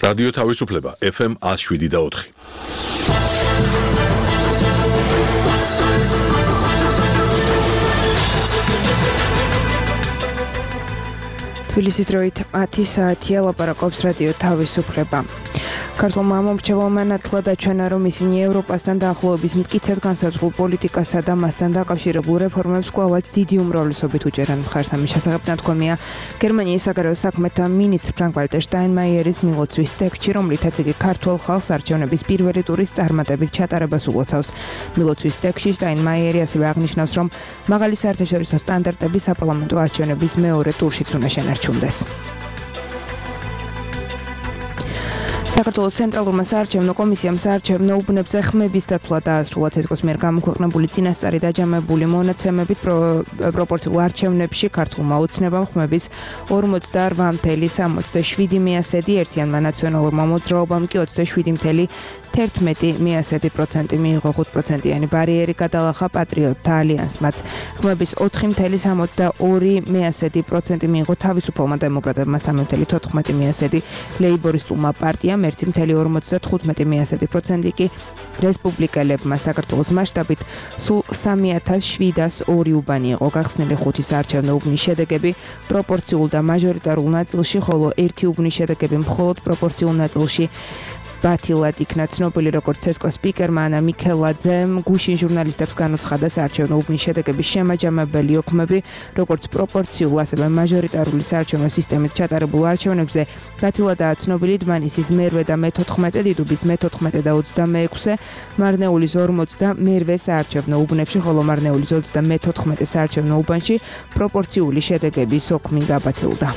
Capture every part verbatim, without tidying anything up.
რადიო თავისუფლება ეფ ემ one oh seven და four. თბილისის დროით ათი საათია, ლაპარაკობს რადიო თავისუფლება. ქართულმა მომრჩეველმა ნათლად აჩვენა, რომ ისინი ევროპასთან დაახლოების მტკიცედ განსაზღვრულ პოლიტიკასა და მასთან დაკავშირებულ რეფორმებს კვლავაც დიდი უმრავლესობით უჭერან მხარს. ამის შესახებ ნათქვამია გერმანიის საგარეო საქმეთა მინისტრ ფრანკ-ვალტერ შტაინმაიერის მილოცვის ტექსტში, რომლითაც იგი ქართველ ხალხს არჩევნების პირველი ტურის წარმატებით ჩატარებას ულოცავს. მილოცვის ტექსტში შტაინმაიერი ასევე აღნიშნავს, რომ მაღალი საერთაშორისო სტანდარტები საპარლამენტო არჩევნების მეორე ტურშიც უნდა შენარჩუნდეს. საქართველოს ცენტრალურმა საარჩევნო კომისიამ საარჩევნო უბნებზე ხმების დათვლა დაასრულა. ცესკოს მიერ გამოქვეყნებული წინასწარი დაჯამებული მონაცემებით პროპორციულ არჩევნებში ქართულმა ოცნებამ ხმების ორმოცდაორ целых სამოცდაშვიდი მიასედი, ერთიანმა ნაციონალურმა მოძრაობამ კი ოცდაშვიდი целых თერთმეტი პროცენტი მიიღო. ხუთ პროცენტიანი ბარიერი გადალახა პატრიოტთა ალიანსმაც. ხმების ოთხი целых სამოცდაორი პროცენტი მიიღო თავისუფალმა დემოკრატებმა, სამი целых თოთხმეტი პროცენტი ლეიბორისტულმა პარტიამ, ერთი целых ორმოცდათხუთმეტი პროცენტი კი რესპუბლიკელებმა. საქართველოს მასშტაბით სულ სამი ათას შვიდას ორი უბანი იყო გახსნილი. ხუთი საარჩევნო უბნის შედეგები პროპორციულ და მაჟორიტარულ ნაწილში, ხოლო ერთი უბნის შედეგები მხოლოდ პროპორციულ ნაწილში ბათილად იქნა ცნობილი, როგორც ცესკოს სპიკერმა ანა მიქელაძემ გუშინ ჟურნალისტებს განუცხადა, საარჩევნო უბნის შედეგების შემაჯამებელი ოქმები, როგორც პროპორციულ, ასევე მაჟორიტარული საარჩევნო სისტემით ჩატარებულ არჩევნებზე ბათილადაა ცნობილი. დმანისის მერვე და მეთოთხმეტე, დიდუბის მეთოთხმეტე და ოცდამეექვსე, მარნეულის ორმოცდამერვე საარჩევნო უბნებში, ხოლო მარნეულის ოცდამეთოთხმეტე საარჩევნო უბანში პროპორციული შედეგების ოქმი გაბათილდა.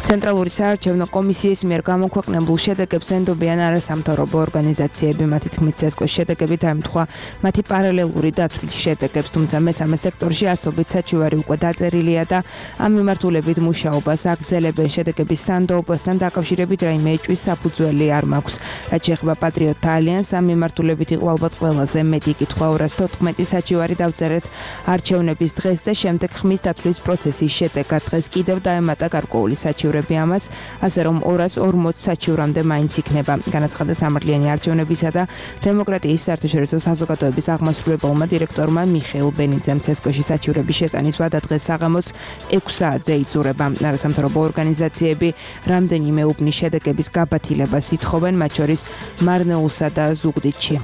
ცენტრალური საარჩევნო კომისიის მიერ გამოქვეყნებულ შედეგებს ენდობიან არასამთავრობო ორგანიზაციები. მათი თქმით, ცესკოს შედეგები დაემთხვა მათი პარალელური დათვლის შედეგებს, თუმცა მესამე სექტორში ასობით საჩივარი უკვე დაწერილია და ამ მიმართულებით მუშაობას აგრძელებენ. შედეგების სანდოობასთან დაკავშირებით რაიმე ეჭვის საფუძველი არ მაქვს. რაც შეეხება პატრიოტთა ალიანსს, ამ მიმართულებით იყო ალბათ ყველაზე მეტი კითხვა. ორას თოთხმეტი საჩივარი დავწერეთ არჩევნების დღეს და შემდეგ ხმის დათვლის პროცესის შედეგად. დღეს კიდევ დაემატა გარკვეული საჩივარი ამას, ასე რომ ორას ორმოც საჩივრამდე მაინც იქნება. განაცხადა სამართლიანი არჩევნებისა და დემოკრატიის საერთაშორისო საზოგადოების აღმასრულებელმა დირექტორმა მიხეილ ბენიძემ. ცესკოში საჩივრების შეტანის ვადა დღეს საღამოს ექვს საათზე იწურება. არასამთავრობო ორგანიზაციები რამდენიმე უბნის შედეგების გაბათილებას ითხოვენ, მათ შორის მარნეულსა და ზუგდიდში.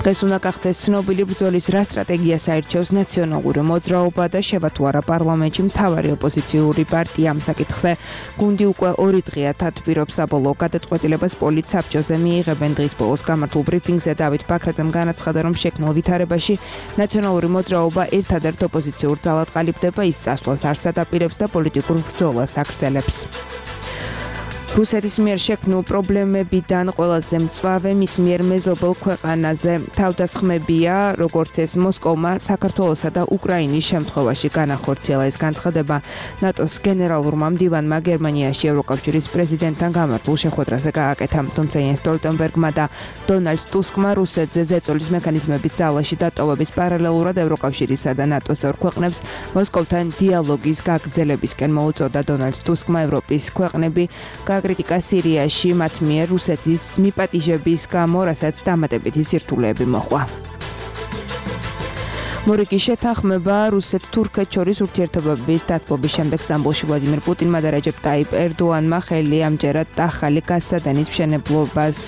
დღეს უნდა გახდეს ცნობილი, ბრძოლის რა სტრატეგიას აირჩევს ნაციონალური მოძრაობა და შევა თუ არა პარლამენტში მთავარი ოპოზიციური პარტია. ამ საკითხზე გუნდი უკვე ორი დღეა თათბირობს. საბოლოო გადაწყვეტილებას პოლიტსაბჭოზე მიიღებენ. დღის ბოლოს გამართულ ბრიფინგზე დავით ბაქრაძემ განაცხადა, რომ შექმნილ ვითარებაში ნაციონალური მოძრაობა ერთადერთ ოპოზიციურ ძალად ყალიბდება, ის წასვლას არ სადაპირებს და პოლიტიკურ ბრძოლას აგრძელებს. რუსეთის მიერ შექმნილ პრობლემებიდან ყველაზე მწვავე მის მიერ მეზობელ ქვეყანაზე თავდასხმებია, როგორც ეს მოსკოვმა საქართველოსა და უკრაინის შემთხვევაში განახორციელა. ეს განცხადება ნატოს გენერალურმა მდივანმა გერმანიაში ევროკავშირის პრეზიდენტთან გამართულ შეხვედრაზე გააკეთა. თუმცა იენს სტოლტენბერგმა და დონალდ ტუსკმა რუსეთზე ზეწოლის მექანიზმების ძალაში დატოვების პარალელურად ევროკავშირისა და ნატოს წევრ ქვეყნებს მოსკოვთან დიალოგის გაგრძელებისკენ მოუწოდა. დონალდ ტუსკმა ევროპის ქვეყნები კრიტიკა სირიაში მათ მიერ რუსეთის მიპატიჟების გამო, რასაც დამატებითი სირთულეები მოჰყვა. მორიგი შეთანხმება რუსეთ-თურქეთ შორის ურთიერთობების დათბობის შემდეგ სტამბოლში ვლადიმერ პუტინმა და რეჯეპ ტაიპ ერდოანმა ხელი ამჯერად ახალი გაზსადენის მშენებლობას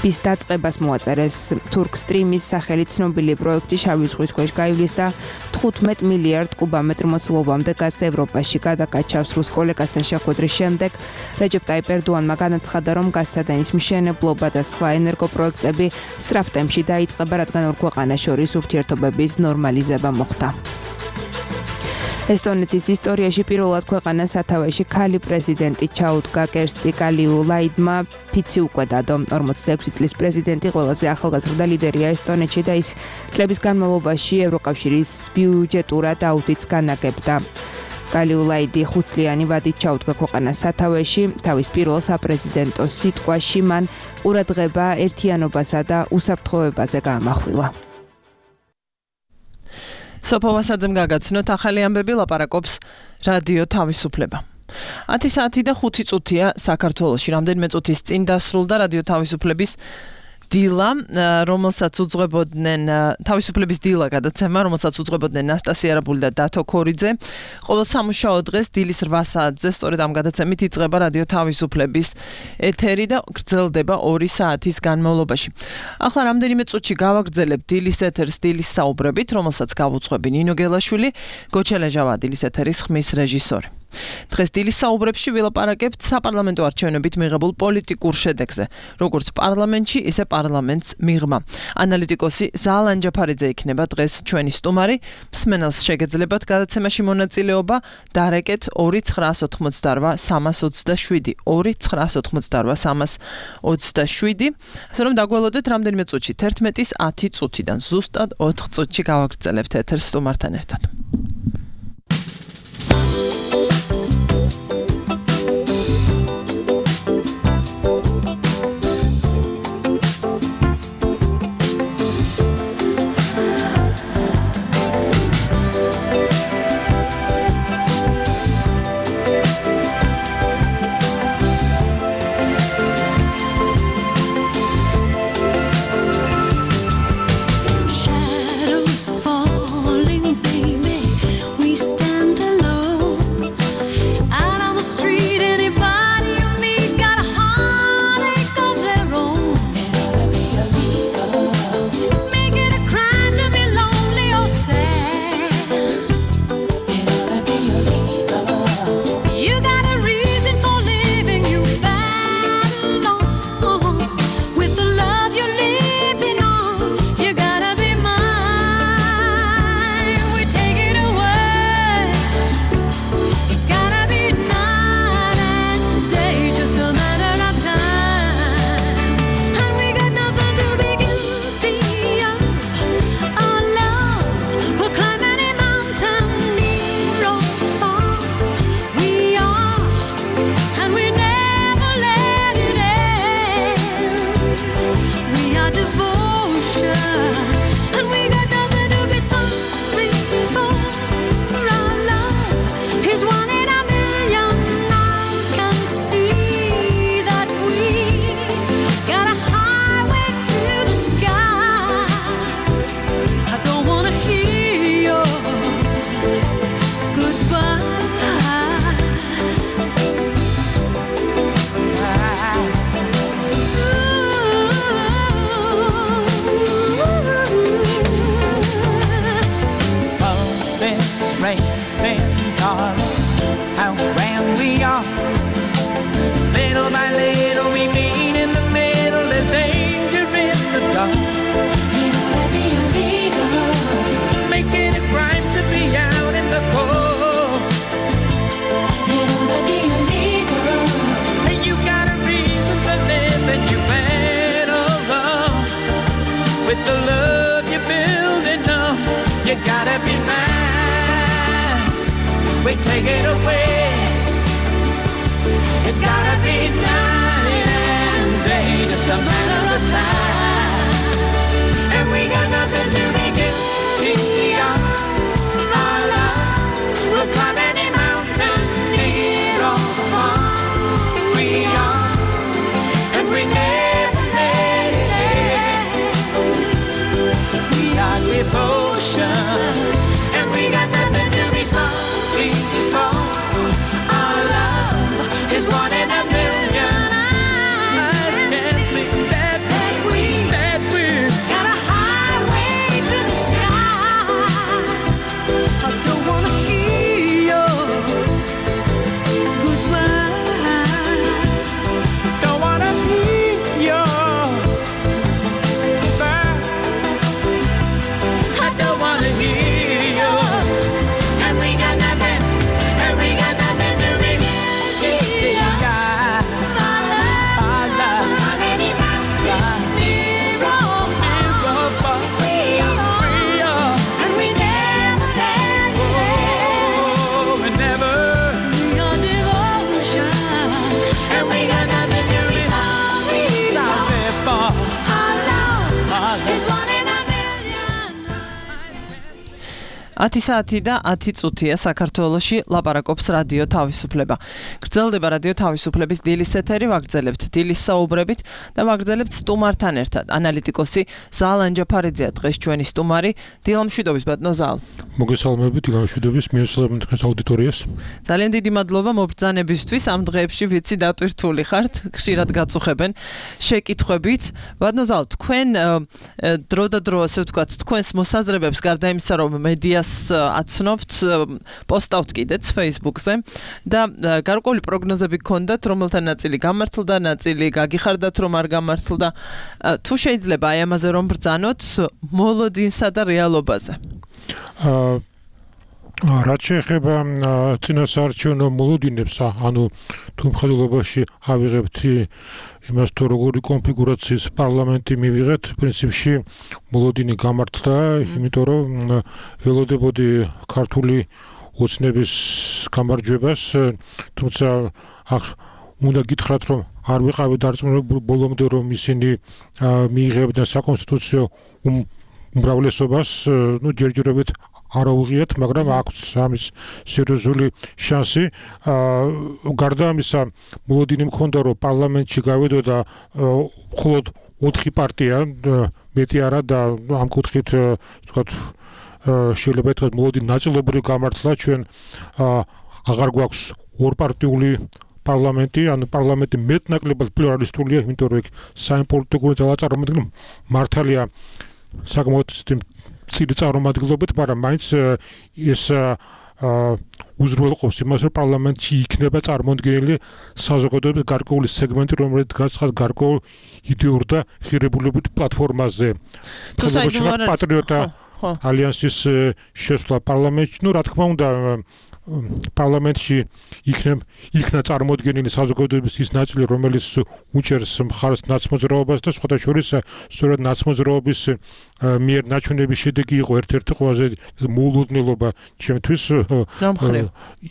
bis დაწყებას მოაწერეს. თურქ სტრიმის სახელით ცნობილი პროექტი შავი ზღვის ქვეშ გაივლის და თხუთმეტ მილიარდ კუბამეტრ მოცულობამდე გაზს ევროპაში გადაკაჩავს. რუს კოლეგასთან შეხვედრის შემდეგ რეჯეპ ტაიპ ერდოანმა განაცხადა, რომ გაზსადენის მშენებლობა და სხვა ენერგოპროექტები სწრაფ ტემპში დაიწყება, რადგან ორ ქვეყანას შორის ურთიერთობების ნორმალიზება მოხდა. ესტონეთის ისტორიაში პირველად ქვეყანას სათავეში ქალი პრეზიდენტი ჩაუდგა. კერსტი კალიულაიდმა ფიცი უკვე დადო. ორმოცდაექვსი წლის პრეზიდენტი ყველაზე ახალგაზრდა ლიდერია ესტონეთში და ის წლების განმავლობაში ევროკავშირის ბიუჯეტურად აუდიტს განაგებდა. კალიულაიდი ხუთწლიანი ვადით ჩაუდგა ქვეყანას სათავეში. თავის პირველ საპრეზიდენტო სიტყვაში მან ყურადღება ერთიანობასა და უსაფრთხოებაზე გაამახვილა. სოფო მასაძემ გაგაცნოთ ახალი ამბები, ლაპარაკობს რადიო თავისუფლება. ათი საათი და ხუთი წუთია საქართველოში. რამდენიმე წუთის წინ დასრულდა რადიო თავისუფლების დილა, რომელსაც უძღვებოდნენ თავისუფლების დილა გადაცემა, რომელსაც უძღვებოდნენ ნასტასია არაბული და დათო ქორიძე. ყოველ სამუშაო დღეს დილის რვა საათზე სწორედ ამ გადაცემით იწყება რადიო თავისუფლების ეთერი და გრძელდება ორი საათის განმავლობაში. ახლა რამდენიმე წუთში გავაგრძელებთ დილის ეთერს დილის საუბრებით, რომელსაც გავუძღვები ნინო გელაშვილი, გოჩელაჟავა დილის ეთერის ხმის რეჟისორი. დღეს დილის საუბრებში ვილაპარაკებთ საპარლამენტო არჩევნებით მიღებულ პოლიტიკურ შედეგზე, როგორც პარლამენტში, ისე პარლამენტს მიღმა. ანალიტიკოსი ზაალ ანჯაფარიძე იქნება დღეს ჩვენი სტუმარი. მსმენელს შეგეძლებათ გადაცემაში მონაწილეობა, დარეკეთ ორი ცხრაას ოთხმოცდარვა სამას ოცდაშვიდი, ორი ცხრაას ოთხმოცდარვა სამას ოცდაშვიდი. ასე რომ დაგველოდეთ რამდენიმე წუთში, თერთმეტის ათი წუთიდან ზუსტად ოთხ წუთში გავაგრძელებთ ეთერს სტუმართან ერთად. Take it away. It's gotta be night and day, just a matter of time. And we got nothing to be guilty of. Our love will climb any mountain, near or far. We are, and we never let it end. We are devotion, and we got nothing to be sorry for. Our love is one in a million. Eyes can see that we, that we got a highway to the sky. I don't wanna hear your goodbye. Don't wanna hear your goodbye. I don't wanna hear. ათი საათი და ათი წუთია საქართველოში ლაპარაკობს რადიო თავისუფლება. გრძელდება რადიო თავისუფლების დილის ეთერი, ვაგრძელებთ დილის საუბრებით და ვაგრძელებთ სტუმართან ერთად. ანალიტიკოსი ზალ ანჯაფარიძეა დღეს ჩვენი სტუმარი. დილა მშვიდობის ბატონო ზალ. მოგესალმებით, დილა მშვიდობის, მიესალმებით დღეს აუდიტორიას. ძალიან დიდი მადლობა მობრძანებისთვის ამ დღეებში, ვიცი დატვირთული ხართ, ხშირად გაწუხებენ შეკითხვებით. ბატონო ზალ, თქვენ დრო და დრო, ასე ვთქვათ, თქვენს მოსაზრებებს გარდა იმისა, რომ მედიას აცნობთ, პოსტავთ კიდეც Facebook-ზე და გარკვეული პროგნოზები გქონდათ, რომელთა ნაწილი გამართლდა, ნაწილი გაგიხარდათ, რომ არ გამართლდა. თუ შეიძლება აი ამაზე რომ ბრძანოთ მოლოდინსა და რეალობაზე. რაც შეეხება წინასაარჩევნო მოლოდინებს, ანუ თუ მხედველობაში ავიღებთ იმას, თუ როგორი კონფიგურაციის პარლამენტი მივიღეთ, პრინციპში მოლოდინი გამართლა, იმიტომ რომ ველოდებოდი ქართული ოცნების გამარჯვებას, თუმცა უნდა გითხრათ, რომ არ ვიყავი დარწმუნებული ბოლომდე, რომ ისინი მიიღებდნენ საკონსტიტუციო უმრავლესობას, ну ჯერჯერობით არ აუღიათ, მაგრამ აქვს ამის სერიოზული შანსი. გარდა ამისა, მოლოდინი მქონდა, რომ პარლამენტში გავედოდა მხოლოდ ოთხი პარტია, მეტი არა და ამ კუთხით ვთქვათ, შეიძლება ითქვას მოლოდინი ნაწილობრივ გამართლა, ჩვენ აღარ გვაქვს ორპარტიული პარლამენტი, ანუ პარლამენტი მეტნაკლებად პლურალისტურია, იმიტომ რომ იქ საიმპოლიტიკური ძალა წარმოადგენს, მართალია საკმაოდ წილი წარმომადგენლობით, მაგრამ მაინც ეს უზრუნველყოფს იმას, რომ პარლამენტში იქნება წარმოდგენილი საზოგადოების გარკვეული სეგმენტი, რომელიც გაცხადდა გარკვეულ იდეურ და ღირებულებით პლატფორმაზე. პატრიოტთა ალიანსის შესვლა პარლამენტში, ну, რა თქმა უნდა, პარლამენტში იქნება იქნა წარმოდგენილი საზოგადოების ის ნაწილი, რომელიც უჭერს მხარს ნაცმოძრაობას და სხვათა შორის სწორედ ნაცმოძრაობის მიერ ნაჩვენების შედეგი იყო ერთ-ერთი ყველაზე მოულოდნელობა ჩემთვის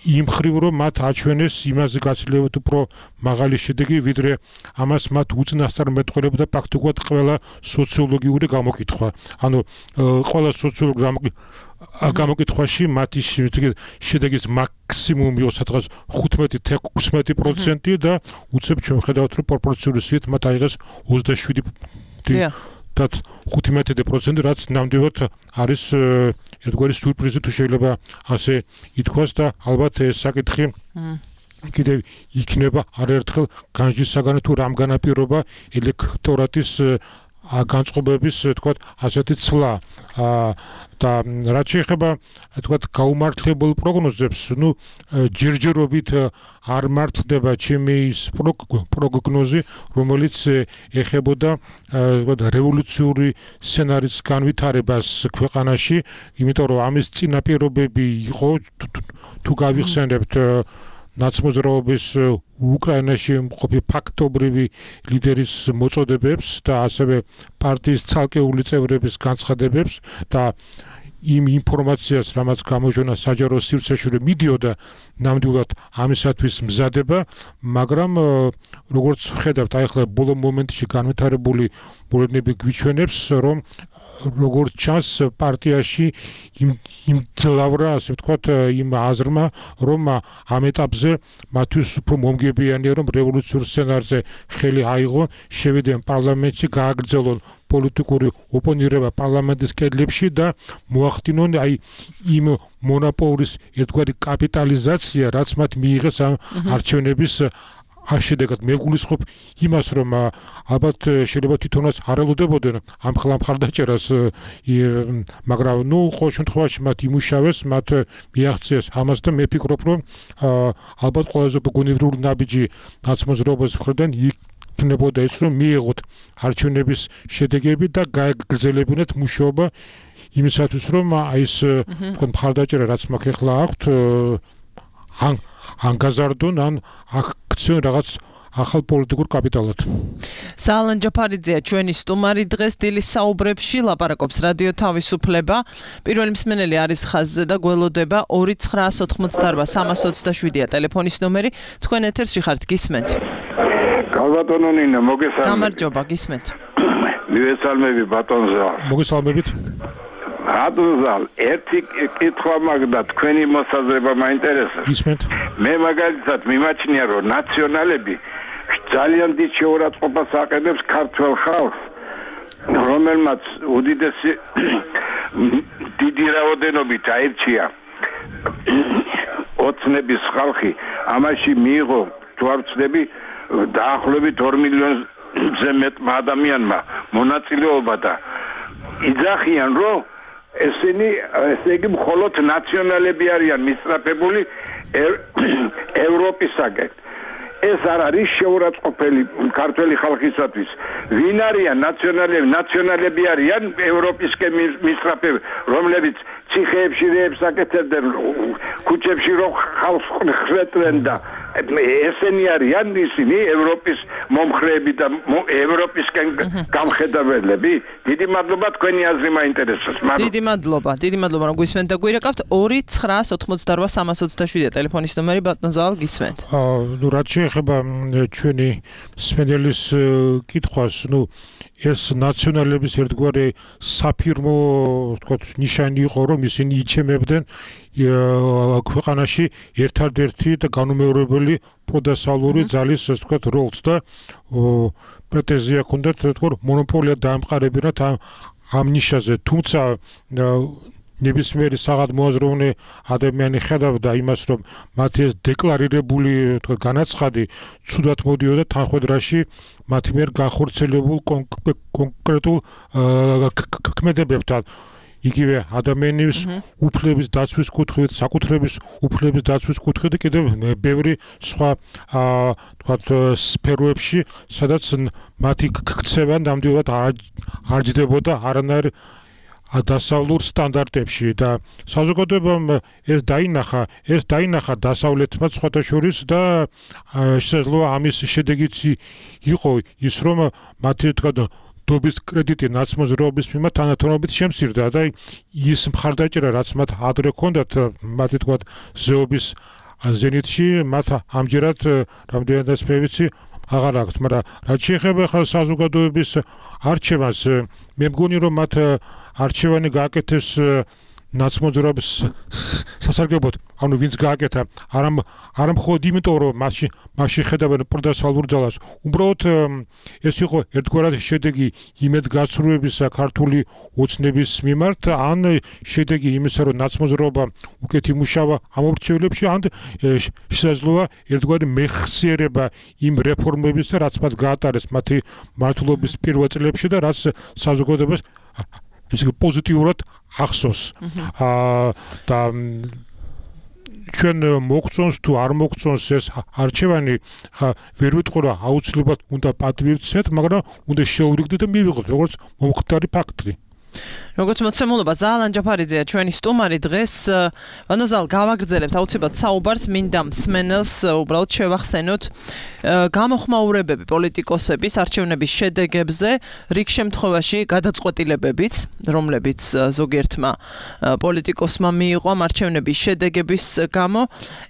იმ მხრივ, რომ მათ აჩვენეს იმაზე გაცილებით უფრო მაღალი შედეგი, ვიდრე ამას მათ უწინასწარ მეტყველებდა პრაქტიკულად ყველა სოციოლოგიური გამოკითხვა. ანუ ყველა სოციოლოგიური გამოკითხვაში მათი შედეგის მაქსიმუმი იყო სადღაც ხუთმეტი ოცდაექვსი პროცენტი და უცებ ჩვენ ვხედავთ, რომ პროპორციული სიით მათ აიღეს ოცდაშვიდი და ხუთმეტი პროცენტი, რაც ნამდვილად არის ერთგვარი სიურპრიზი, თუ შეიძლება ასე ითქვას და ალბათ ეს საკითხი კიდევ იქნება არაერთხელ განჯის საგანი, თუ რამ განაპირობა ელექტორატის განწყობების, თქვათ, ასეთი ცვლა. და რაც შეეხება, თქვათ, გაუმართლებელ პროგნოზებს, ну, ჯერჯერობით არ მართლდება ჩემი ის პროგნოზი, რომელიც ეხებოდა, თქვათ, რევოლუციური სცენარის განვითარებას ქვეყანაში, იმიტომ რომ ამის წინაპირობები იყო, თუ გავიხსენებთ ნაცმოძრაობის უკრაინაში მყოფი ფაქტობრივი ლიდერის მოწოდებებს და ასევე პარტიის ცალკეული წევრების განცხადებებს და იმ ინფორმაციას, რამაც გამოჟონა საჯარო სივრცეში მიდიოდა, ნამდვილად ამისათვის მზადება, მაგრამ როგორც ვხედავთ, აი ახლა ბოლო მომენტში განვითარებული მოლოდინები გვიჩვენებს, რომ როგორც ჩანს პარტიაში იმ იმ ძლავრა, ასე ვთქვათ, იმ აზრმა, რომ ამ ეტაპზე მათთვის უფრო მომგებიანია, რომ რევოლუციურ სცენარზე ხელი აიღონ, შევიდნენ პარლამენტში, გააგრძელონ პოლიტიკური ოპონირება პარლამენტის კედლებში და მოახდინონ აი იმ მონოპოლის ერთგვარი კაპიტალიზაცია, რაც მათ მიიღეს ამ არჩევნების შედეგად. მე გულისხმობ იმას, რომ ალბათ შეიძლება თვითონაც არ ელოდებოდნენ ამ მხარდაჭერას, მაგრამ ნუ ყოველ შემთხვევაში მათ იმუშავეს, მათ მიაღწიეს ამას და მე ვფიქრობ, რომ ალბათ ყველაზე გონივრული ნაბიჯი ნაცმოძრაობის მხრიდან იქნებოდა ის, რომ მიიღოთ არჩევნების შედეგები და გაეგრძელებინათ მუშაობა იმისათვის, რომ აი ეს მხარდაჭერა, რაც მაგ ახლა აქვთ, ან ან გაზარდონ, ან აქციონ რაღაც ახალ პოლიტიკურ კაპიტალად. ზალ ანჯაფარიძეა ჩვენი სტუმარი დღეს დილის საუბრებში, ლაპარაკობს რადიო თავისუფლება. პირველი მსმენელი არის ხაზზე და გველოდება ორი ცხრა ოთხმოცდაარბა სამას ოცდაშვიდია ტელეფონის ნომერი. თქვენ ეთერში ხართ, გისმენთ? გალბატონო ნინა, მოგესალმებით. გამარჯობა, გისმენთ. მივესალმები ბატონო ზალ. მოგესალმებით. რატოზალ ერთი კითხვა მაგდა თქვენი მოსაზრება მაინტერესებს. ისმენთ. მე მაგალითად მიმაჩნია რომ ნაციონალები ძალიან დიდ შეურაცხყოფას აყენებს ქართველ ხალხს, რომელმაც უდიდესი დიდი რაოდენობით აირჩია ოცნების ხალხი, ამაში მიიღო თუ არ ვცდები დაახლოებით ორ მილიონზე მეტმა ადამიანმა მონაწილეობა და იძახიან რომ ესენი ესე იგი მხოლოდ ნაციონალები არიან მისწრაფებული ევროპისაგან. ეს არ არის შეურაცხყოფელი ქართველი ხალხისათვის. ვინ არიან ნაციონალები? ნაციონალები არიან ევროპისკენ მისწრაფები, რომლებიც ციხეებში რეებს აკეთებდნენ, ქუჩებში რო ხალხს ხვეწდნენ და ესენი არიან ისინი ევროპის მომხრეები და ევროპისკენ გამხედველები. დიდი მადლობა, თქვენი აზრი მაინტერესებს. დიდი მადლობა, დიდი მადლობა რომ გვისმენთ და გვირეკავთ. ორი ცხრა ოცდაოთხმოცდაოთხ სამას ოცდაშვიდი ტელეფონის ნომერი, ბატონ ზალ, გისმენთ. აა ნუ რაც შეეხება ჩვენი სპენდელის კითხვას, ნუ ეს ნაციონალების ერთგვარი საფირმო ვთქვათ ნიშანი იყო რომ ისინი იჩემებდნენ ქვეყანაში ერთადერთი და განუმეორებელი პროდასალური ძალის ვთქვათ როლს და პრეტენზია ჰქონდათ თქო მონოპოლია დაემყარებინათ ამ ამ ნიშაზე, თუმცა ნებისმიერი საღადმოაზროვნე ადამიანი ხედავდა იმას, რომ მათი ეს დეკლარირებული თქო განაცხადი ცუდად მოდიოდა თანხმედრაში მათი მიერ განხორციელებულ კონკრეტულ ქმედებებთან. იგივე ადამიანის უფლების დაცვის კუთხით, საკუთრების უფლების დაცვის კუთხით და კიდევ ბევრი სხვა თქვათ სფეროებში, სადაც მათი ქცევა ნამდვილად არ ჯდებოდა არანაირ დასავლურ სტანდარტებში და საზოგადოებამ ეს დაინახა, ეს დაინახა დასავლეთმა სხვათა შორის და შესაძლოა ამის შედეგიც იყო ის, რომ მათი თქვათ დობის კრედიტი ნაცმოძრაობის მიმართ თანათონობით შემცირდა და ის მხარდაჭერა, რაც მათ ადრე ჰქონდათ, მათი თქვათ ზეობის ზენიტში, მათ ამჯერად რამდენადაც მე ვიცი აღარ აქვთ, მაგრამ რაც შეეხება ხალხ საზოგადოების არჩევანს, მე მგონი რომ მათ არჩევანი გააკეთეს ნაცმოძრაობის სასარგებლოდ, ანუ ვინც გააკეთა, არა არა მხოლოდ იმიტომ რომ მასში მასში ხედავენ პროდასალურ ძალას, უბრალოდ ეს იყო ერთგვარად შედეგი იმედგაცრუებისა ქართული ოცნების მიმართ, ან შედეგი იმისა, რომ ნაცმოძრაობა უკეთ იმუშავა ამ ორჩევლებში, ან შესაძლოა ერთგვარი მეხსიერება იმ რეფორმებისა, რაც მათ გაატარეს მათი მმართველობის პირველ წლებში და რაც საზოგადოებას ის პოზიტიურად ახსოვს. აა და ჩვენ მოგწონს თუ არ მოგწონს ეს არჩევანი, ვერ ვიტყვი რა აუცილებლად უნდა პატივცეთ, მაგრამ უნდა შეურიგდეთ და მივიღოთ როგორც მომხდარი ფაქტი. როგორც მოცემულობა ზალან ჯაფარიძეა ჩვენი სტუმარი დღეს. ანუ ზალ გავაგრძელებთ აუცილებლად საუბარს, მინდა მსმენელს უბრალოდ შევახსენოთ გამოხმაურებები პოლიტიკოსების არჩევნების შედეგებზე, რიგ შემთხვევაში გადაწყვეტილებებიც, რომლებიც ზოგიერთმა პოლიტიკოსმა მიიღო ამ არჩევნების შედეგების გამო.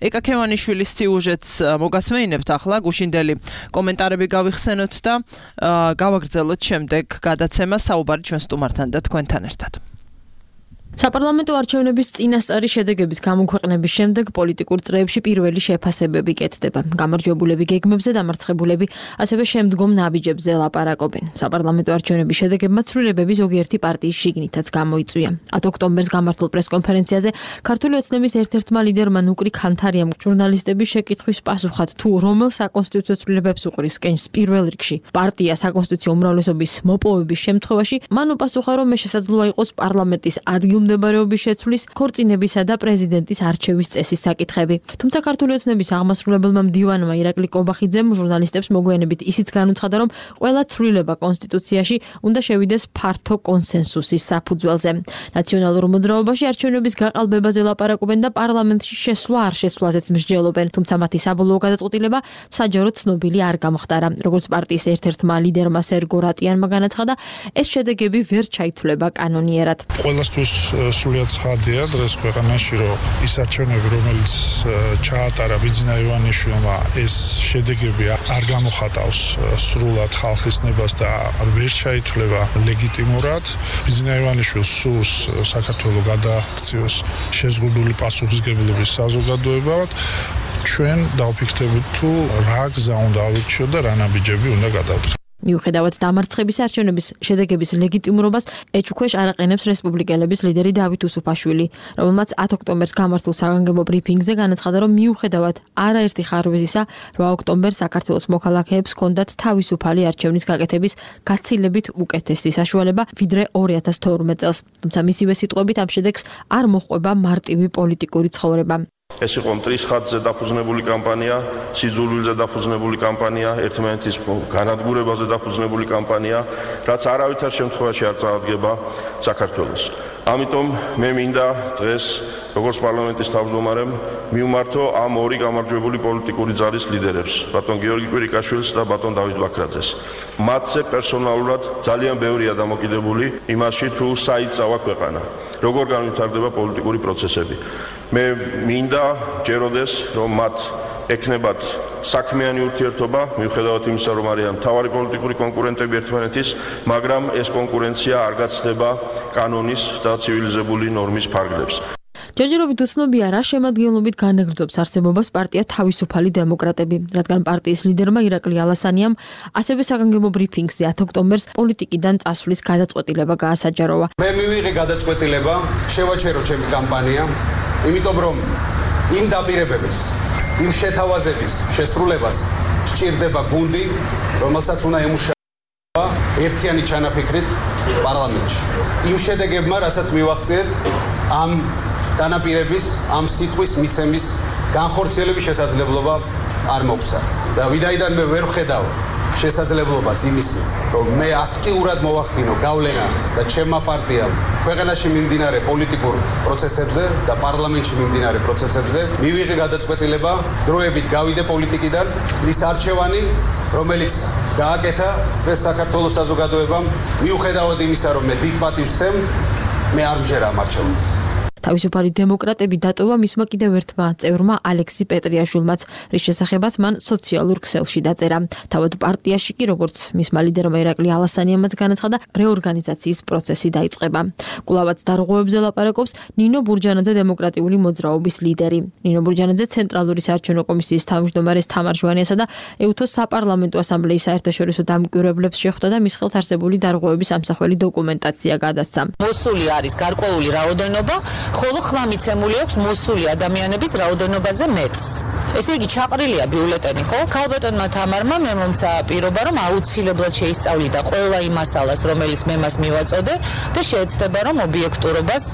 ეკა ქევანიშვილის სიუჟეტს მოგასმეინებთ ახლა, გუშინდელი კომენტარები გავიხსენოთ და გავაგრძელოთ შემდეგ გადაცემა საუბარი ჩვენ სტუმართან და თქვენთან ერთად. საპარლამენტო არჩევნების წინასწარი შედეგების გამოქვეყნების შემდეგ პოლიტიკურ წრეებში პირველი შეფასებები კეთდება. გამარჯვებულები გეგმებზე, დამარცხებულები ასევე შემდგომ ნაბიჯებზე ლაპარაკობენ. საპარლამენტო არჩევნების შედეგებმა ცვლილებები ზოგიერთი პარტიის შიგნითაც გამოიწვია. ათ ოქტომბერს გამართულ პრესკონფერენციაზე ქართული ოცნების ერთ-ერთმა ლიდერმა ნუკრი ქანთარიამ ჟურნალისტების შეკითხვის პასუხად თუ რომელ საკონსტიტუციო ცვლილებებს უყრის კენჭს პირველ რიგში პარტია საკონსტიტუციო უმრავლესობის მოპოვების შემთხვევაში, მან უპასუხა, რომ მე შესაძლოა იყოს პარლამენტის ადგილ მდებარეობის შეცვლის, ქორწინებისა და პრეზიდენტის არჩევის წესის საკითხები. თუმცა ქართული ოცნების აღმასრულებელმა მდივანმა ირაკლი კობახიძემ ჟურნალისტებს მოგვიანებით ისიც განუცხადა, რომ ყველა ცვლილება კონსტიტუციაში უნდა შევიდეს ფართო კონსენსუსის საფუძველზე. ნაციონალურ მოძრაობაში არჩევნების გაყალბებაზე ლაპარაკობენ და პარლამენტში შესვლა არ შესვლაზეც მსჯელობენ, თუმცა მათი საბოლოო გადაწყვეტილება საჯაროდ ცნობილი არ გამხდარა. როგორც პარტიის ერთ-ერთმა ლიდერმა სერგო რატიანმა განაცხადა, ეს შედეგები ვერ ჩაითვლება კანონიერად. ყველასთვის სრულიად ცხადია დღეს ქვეყანაში, რომ ის არჩევნები, რომელიც ჩაატარა ბიძინა ივანიშვილმა, ეს შედეგები არ გამოხატავს სრულად ხალხის ნებას და ვერ ჩაითვლება ლეგიტიმურად. ბიძინა ივანიშვილს სურს საქართველოს გადააქციოს შეზღუდული პასუხისგებლობის საზოგადოებად. ჩვენ დავფიქრდებით თუ რა გზა უნდა ავირჩიოთ და რა ნაბიჯები უნდა გადავდგეთ. მიუხედავად დამარცხების არჩევნების შედეგების ლეგიტიმურობას ეჭვქვეშ არაყენებს რესპუბლიკელების ლიდერი დავით უსუფაშვილი, რომელმაც ათი ოქტომბერს გამართულ საგანგებო ბრიფინგზე განაცხადა, რომ მიუხედავად არაერთი ხარვეზისა, რვა ოქტომბერს საქართველოს მოქალაქეებს ჰქონდათ თავისუფალი არჩევნის გაკეთების გაცილებით უკეთესი საშუალება, ვიდრე ორი ათას თორმეტ წელს. თუმცა მისივე სიტყვებით ამ შედეგს არ მოჰყვება მარტივი პოლიტიკური ცხოვრება. ეს იყო მტრის ხაზზე დაფუძნებული კამპანია, სიძულვილზე დაფუძნებული კამპანია, ერთმანეთის განადგურებაზე დაფუძნებული კამპანია, რაც არავითარ შემთხვევაში არ წარადგება საქართველოს. ამიტომ მე მინდა დღეს, როგორც პარლამენტის თავმჯდომარემ, მივმართო ამ ორი გამარჯვებული პოლიტიკური ძალის ლიდერებს, ბატონ გიორგი კვირიკაშვილს და ბატონ დავით ბაქრაძეს. მათზე პერსონალურად ძალიან ბევრია დამოკიდებული იმაში, თუ საიწავა ქვეყანა, როგორ განვითარდება პოლიტიკური პროცესები. მე მინდა ჯეროდეს, რომ მათ ეკნებათ საქმიანი ურთიერთობა, მიუხედავად იმისა, რომ არიან მთავარი პოლიტიკური კონკურენტები ერთმანეთის, მაგრამ ეს კონკურენცია არ გაცდება კანონის და ცივილიზებული ნორმის ფარგლებს. ჯერჯერობით უცნობია რა შემადგენლობით განაგრძობს არსებობას პარტია თავისუფალი დემოკრატები, რადგან პარტიის ლიდერმა ირაკლი ალასანიამ ასევე საგანგებო ბრიფინგზე ათი ოქტომბერს პოლიტიკიდან წასვლის გადაწყვეტილება გაასაჯაროვა. მე მივიღე გადაწყვეტილება, შევაჩერო ჩემი კამპანია, იმიტომ რომ იმ დაპირებების, იმ შეთავაზების შესრულებას სჭირდება გუნდი, რომელსაც უნდა ემუშავა ერთიანი ჩანაფიქრით პარლამენტში. იმ შედეგებმა, რასაც მივახციეთ, ამ დანაპირების, ამ სიტყვის მიცემის განხორციელების შესაძლებლობა არ მოგვცა. და ვინაიდან მე ვერ ვხედავ შესაძლებლობას იმისი, რომ მე აქტიურად მოვახდინო გავლენა და ჩემმა პარტიამ ქვეყანაში მიმდინარე პოლიტიკურ პროცესებზე და პარლამენტში მიმდინარე პროცესებზე მივიღე გადაწყვეტილება დროებით გავიდე პოლიტიკიდან, ის არჩევანი, რომელიც გააკეთა ეს საქართველოს საზოგადოებამ, მიუხედავად იმისა, რომ მე დიდ პატივს ვცემ, მე არ მჯერა ამ არჩევნებს. თავისუფალი დემოკრატები დატოვა მისმა კიდევ ერთმა წევრმა ალექსი პეტრიაშვილმაც, რის შესახებაც მან სოციალურ ქსელში დაწერა. თავად პარტიაში კი, როგორც მისმა ლიდერმა ირაკლი ალასანიამაც განაცხადა, რეორგანიზაციის პროცესი დაიწყება. კვლავაც დარღვევებზე ლაპარაკობს ნინო ბურჯანაძე დემოკრატიული მოძრაობის ლიდერი. ნინო ბურჯანაძე ცენტრალური საარჩევნო კომისიის თავმჯდომარეს თამარ ჟვანიასა და ეუთოს საპარლამენტო ასამბლეის საერთაშორისო დამკვირვებლებს შეხვდა და მის ხელთ არსებული დარღვევების ამსახველი დოკუმენტაცია გადასცა. მოსული არის გარკვეული რაოდენობა, ხოლო ხმა მიცემული აქვს მოსული ადამიანების რაოდენობაზე მეტს. ესე იგი ჩაყრილია ბიულეტენი, ხო? ქალბატონმა თამარმა მე მომცა პირობა, რომ აუცილებლად შეისწავლიდა ყველა იმ მასალას, რომელიც მე მას მივაწოდე და შეეცდება, რომ ობიექტურობას,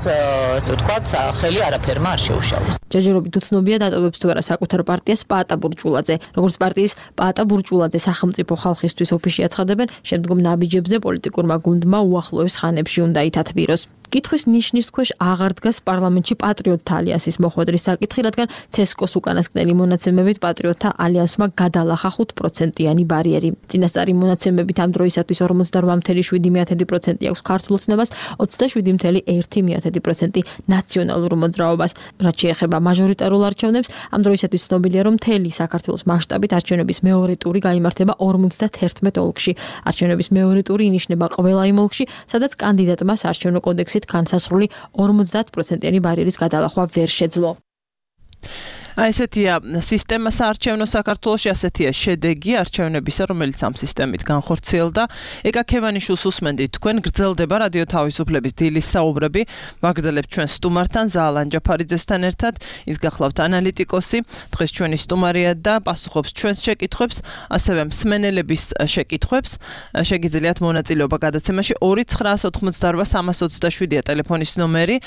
ასე ვთქვათ, ხელი არაფერმა არ შეუშალოს. ჯერჯერობით უცნობია დატოვებს თუ არა საკუთარ პარტიას პაატა ბურჭულაძე. როგორც პარტიის პაატა ბურჭულაძე სახელმწიფო ხალხისთვის ოფისში აცხადებენ, შემდგომ ნაბიჯებზე პოლიტიკურმა გუნდმა უახლოეს ხანებში უნდა ითათბიროს. კითხვის ნიშნის ქვეშ აღარ დგას პარლამენტში პატრიოტთა ალიანსის მოხვედრის საკითხი, რადგან ცესკოს უკანასკნელი მონაცემებით პატრიოტთა ალიანსმა გადალახა ხუთ პროცენტიანი ბარიერი. წინასწარი მონაცემებით ამ დროისათვის ორმოცდარვა ფاصლე შვიდი პროცენტი აქვს ქართულ ოცნებას, ოცდაშვიდი ფაصლე ერთი პროცენტი ნაციონალურ მოძრაობას. რაც შეეხება მაჟორიტარულ არჩევნებს, ამ დროისათვის ცნობილია, რომ მთელი საქართველოს მასშტაბით არჩევნების მეორე ტური გაიმართება ორმოცდაათერთმეტ ოლქში. არჩევნების მეორე ტური ინიშნება ყველა იმ ოლქში, სადაც კანდიდატმა საარჩევნო კოდექსი განსაზღვრული ორმოცდაათ პროცენტიანი ბარიერის გადალახვა ვერ შეძლო. აი ესეთია სისტემა საარჩევნო საქართველოში, ასეთია შედეგი არჩევნებისა, რომელიც ამ სისტემით განხორციელდა. ეკა ქევანიშვილს უსმენდით, თქვენ გრძელდება რადიო თავისუფლების დილის საუბრები, ვაგრძელებთ ჩვენ სტუმართან, ზაალან ჯაფარიძესთან ერთად, ის გახლავთ ანალიტიკოსი, დღეს ჩვენი სტუმარია და პასუხობს ჩვენს შეკითხვებს, ასევე მსმენელების შეკითხვებს. შეგიძლიათ მონაწილეობა გადაცემაში ორი ცხრაას ოთხმოცდარვა სამას ოცდაშვიდია ტელეფონის ნომერი.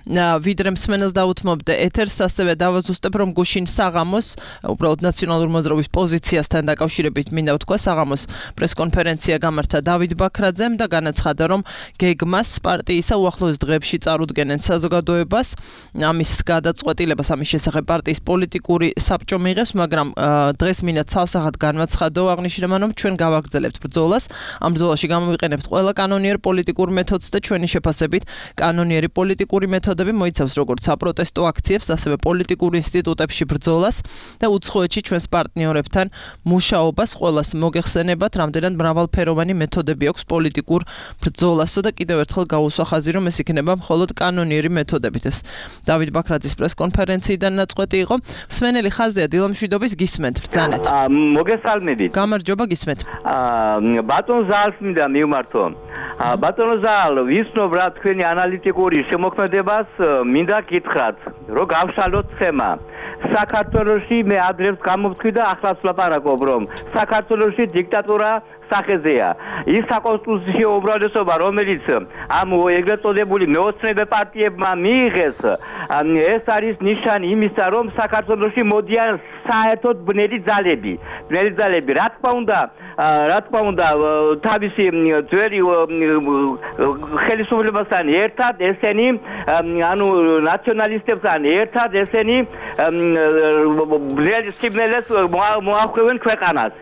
ვიდრე მსმენელს დაუთმობდე ეთერს, ასევე დავაზუსტებ, რომ გუშინ საღამოს უბრალოდ ნაციონალური მოძრაობის პოზიციასთან დაკავშირებით მინდა ვთქვა საღამოს პრესკონფერენცია გამართა დავით ბაქრაძემ და განაცხადა რომ გეგმას პარტიისა უახლოეს დღეებში წარუდგენენ საზოგადოებას ამის გადაწყვეტილებას ამის შესახებ პარტიის პოლიტიკური საბჭო მიიღებს მაგრამ დღეს მინდა ცალსახად განვაცხადო აღნიშნულმა რომ ჩვენ გავაგრძელებთ ბრძოლას ამ ბრძოლაში გამოვიყენებთ ყველა კანონიერ პოლიტიკურ მეთოდს და ჩვენი შეფასებით კანონიერი პოლიტიკური მეთოდები მოიცავს როგორც საპროტესტო აქციებს ასევე პოლიტიკურ ინსტიტუტებში ბრძოლას და უცხოეთში ჩვენს პარტნიორებთან მუშაობას ყველას მოგეხსენებათ რამდენად მრავალფეროვანი მეთოდები აქვს პოლიტიკურ ბრძოლასო და კიდევ ერთხელ გავუსვა ხაზი რომ ეს იქნება მხოლოდ კანონიერი მეთოდებით ეს დავით ბაქრაძის პრესკონფერენციიდან ნაწყვეტი იყო სვენელი ხაზია დილამშვიდობის გისმენთ ბრძანეთ მოგესალმებით გამარჯობა გისმენთ ბატონ ზალს მინდა მივმართო ბატონო ზალ ვისნობ რა თქვენი ანალიტიკური შემოქმედებას მინდა გითხრათ რომ გავშალოთ თემა საქართველოში მე ადრეს გამოვთქვი და ახლაც ვლაპარაკობ რომ საქართველოში დიქტატურა სახეზეა ის საკონსტიტუციო უმრავლესობა რომელიც ამ ეგრეთ წოდებული მეოცნებე პარტიებმა მიიღეს ეს არის ნიშანი იმისა რომ საქართველოში მოდიან საერთოდ ბნელი ძალები ბნელი ძალები რა თქმა უნდა რა თქმა უნდა თავისი ძველი ხელისუფლებასთან ერთად ესენი ანუ ნაციონალისტებთან ერთად ესენი ბნელი სიბნელეს მოახმევენ ქვეყანას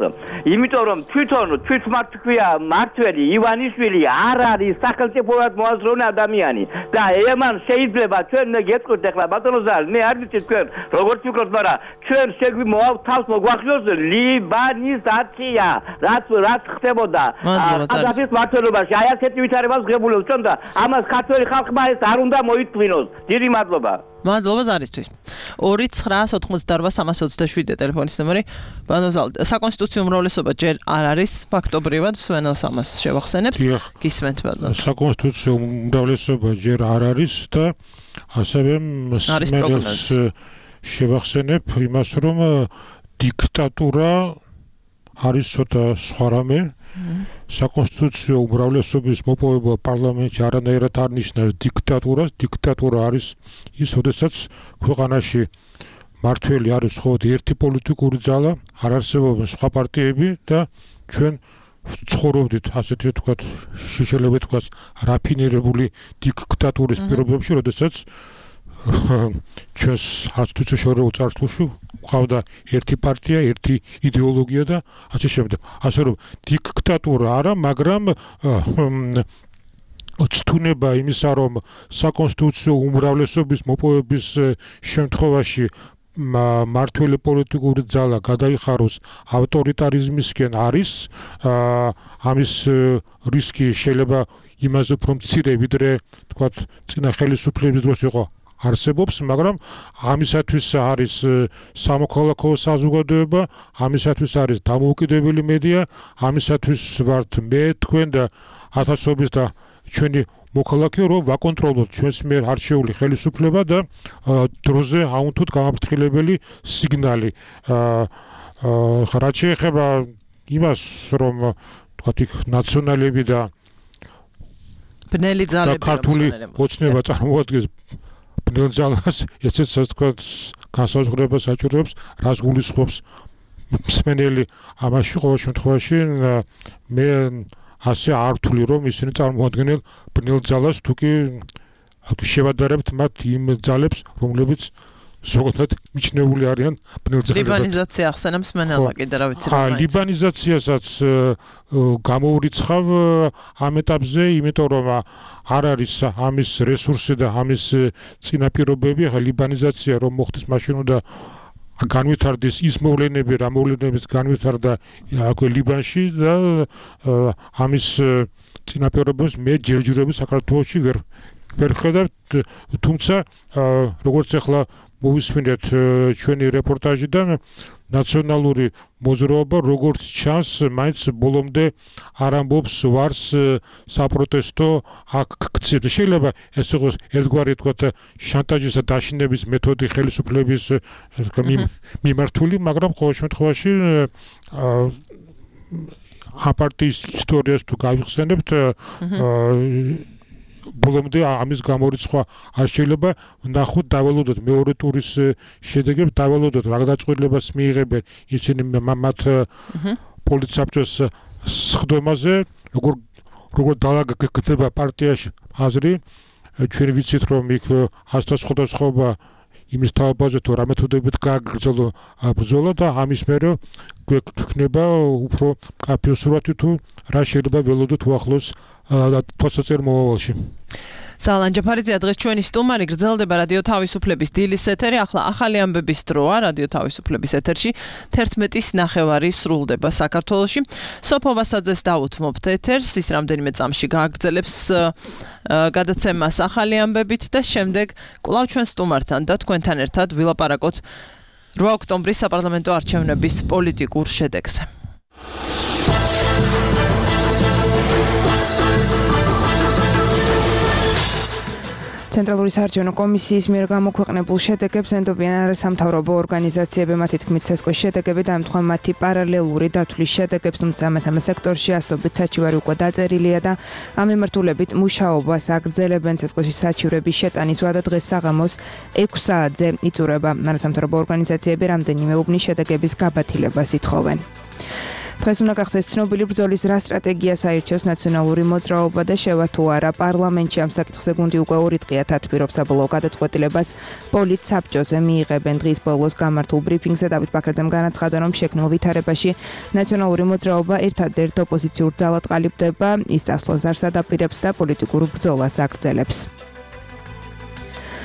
იმიტომ რომ თვითონ თვითმართველია მართველი ივანიშვილი არ არის სახელმწიფოებად მოაზროვნე ადამიანი და ემან შეიძლება ჩვენ გეტყვით ახლა ბატონო ზალ მე არ ვიცი თქვენ როგორ ფიქრობთ მაგრამ ჩვენ შეგვი თავს მოგვახსოვს ლიბანიზაცია რაც რაც ხდებოდა ყადაფის მმართველობაში აი ასეთი ვითარებას ღებულობს ჩვენ და ამას ქართველი ხალხმა ეს არ უნდა მოითმინოს დიდი მადლობა მადლობა ზარისთვის ორი ცხრა ოცდაოთხმოცდაარბა სამას ოცდაშვიდი ტელეფონის ნომერი ბანოზალ საკონსტიტუციო უმრავლესობა ჯერ არ არის ფაქტობრივად მსვენელს ამას შევახსენებთ გისმენთ ბანოზალ საკონსტიტუციო უმრავლესობა ჯერ არ არის და ასევე მსმენელს შევახსენებ იმას რომ დიქტატურა არის ცოტა სხვა რამე საკონსტიტუციო უმრავლესობის მოპოვება პარლამენტში არანაირად არ ნიშნავს დიქტატურას დიქტატურა არის ის როდესაც ქვეყანაში მართველი არის მხოლოდ ერთი პოლიტიკური ძალა არ არსებობენ სხვა პარტიები და ჩვენ ცხოვრობდით ასეთი ვთქვათ შეიძლება ვთქვათ რაფინირებული დიქტატურის პირობებში როდესაც ჩვენს არცთუცაშორეულ წარსულში ყავდა ერთი პარტია, ერთი იდეოლოგია და ასე შემდეგ. ასე რომ დიქტატურა არა, მაგრამ ცდუნება იმისა, რომ საკონსტიტუციო უმრავლესობის მოპოვების შემთხვევაში მართველი პოლიტიკური ძალა გადაიხაროს ავტორიტარიზმისკენ არის, ამის რისკი შეიძლება იმაზე უფრო მცირე ვიდრე თქვათ წინა ხელისუფლების დროს იყო არსებობს, მაგრამ ამისათვის არის სამოქალაქო საზოგადოება, ამისათვის არის დამოუკიდებელი მედია, ამისათვის ვართ მე, თქვენ და ათასობით და ჩვენი მოქალაქე, რომ ვაკონტროლოთ ჩვენს მიერ არჩეული ხელისუფლება და დროზე აუნთოთ გამაფრთხილებელი სიგნალი. რაც შეეხება იმას, რომ თქვათ იქ ნაციონალები და ბნელი ძალები ქართული ოცნება წარმოადგენს ბნელ ძალას, ესეც თქვათ განსაზღვრებას აჭირვებს, რას გულისხმობს მსმენელი ამაში ყოველ შემთხვევაში მე ასე არ ვთვლი რომ ისინი წარმოადგენენ ბნელ ძალას, თუკი შევადარებთ მათ იმ ძალებს, რომლებიც ზოგადად მიჩნეული არიან ბნელ ძალებად. ლიბანიზაცია ახსენებს მსმენელმა კიდე რა ვიცი რა. აა ლიბანიზაციასაც გამოვრიცხავ ამ ეტაპზე, იმიტომ რომ არ არის ამის რესურსი და ამის წინაპირობები, ახლა ლიბანიზაცია რომ მოხდეს მაშინ უნდა განვითარდეს ის მოვლენები, რა მოვლენებიც განვითარდა აქვე ლიბანში და ამის წინაპირობებს მე ჯერჯერობით საქართველოში ვერ ვერ ხედავ, თუმცა როგორც ახლა მოვისმინეთ ჩვენი რეპორტაჟიდან ნაციონალური მოძრაობა როგორც ჩანს მაინც ბოლომდე არ ამბობს ვარს საპროტესტო აქციებზე. შეიძლება ეს იყოს ერთგვარი თქვათ შანტაჟისა დაშინების მეთოდი ხელისუფლების მიმართული, მაგრამ ყოველ შემთხვევაში ამ პარტიის ისტორიას თუ გავიხსენებთ ბოლომდე ამის გამორიცხვა არ შეიძლება ნახოთ დავალოდოთ მეორე ტურის შედეგებს დავალოდოთ რა გადაწყვეტილებას მიიღებენ ისინი მათ პოლიტსაბჭოს სხდომაზე როგორ როგორ დაალაგდება პარტიაში აზრი ჩვენ ვიცით რომ იქ ასთა სხვადასხვა იმის თავაზე თუ რა მეთოდებით გააგრძელო ბრძოლა და ამის მერე გვექნება უფრო კაფე სურათი თუ რა შეიძლება ველოდოთ უახლოს თვალსაჩინო მომავალში. ზალან ჯაფარიძე დღეს ჩვენი სტუმარი გრძელდება რადიო თავისუფლების დილის ეთერი. ახლა ახალი ამბების დროა რადიო თავისუფლების ეთერში თერთმეტის ნახევარი სრულდება საქართველოში. სოფო ვასაძეს დავუთმობთ ეთერს, ის რამდენიმე წამში გააგრძელებს გადაცემას ახალი ამბებით და შემდეგ კვლავ ჩვენ სტუმართან და თქვენთან ერთად ვილაპარაკოთ რვა ოქტომბრის საპარლამენტო არჩევნების პოლიტიკურ შედეგზე. ცენტრალური საარჩევნო კომისიის მიერ გამოქვეყნებულ შედეგებს ენდობიან არასამთავრობო ორგანიზაციები, მათი თქმით ცესკოს შედეგები დაემთხვა მათი პარალელური დათვლის შედეგებს, თუმცა ამ სექტორში ასობით საჩივარი უკვე დაწერილია და ამ მიმართულებით მუშაობას აგრძელებენ. ცესკოში საჩივრების შეტანის ვადა დღეს საღამოს ექვს საათზე იწურება. არასამთავრობო ორგანიზაციები რამდენიმე უბნის შედეგების გაბათილებას ითხოვენ. დღეს უნდა გახდეს ცნობილი ბრძოლის რა სტრატეგიას აირჩევს ნაციონალური მოძრაობა და შევა თუ არა პარლამენტში ამ საკითხზე გუნდი უკვე ორი დღეა თათბირობს საბოლოო გადაწყვეტილებას პოლიტსაბჭოზე მიიღებენ. დღის ბოლოს გამართულ ბრიფინგზე დავით ბაქრაძემ განაცხადა რომ შექმნილ ვითარებაში ნაციონალური მოძრაობა ერთადერთ ოპოზიციურ ძალად ყალიბდება, ის წასვლას არ სადაპირებს და პოლიტიკურ ბრძოლას აგრძელებს.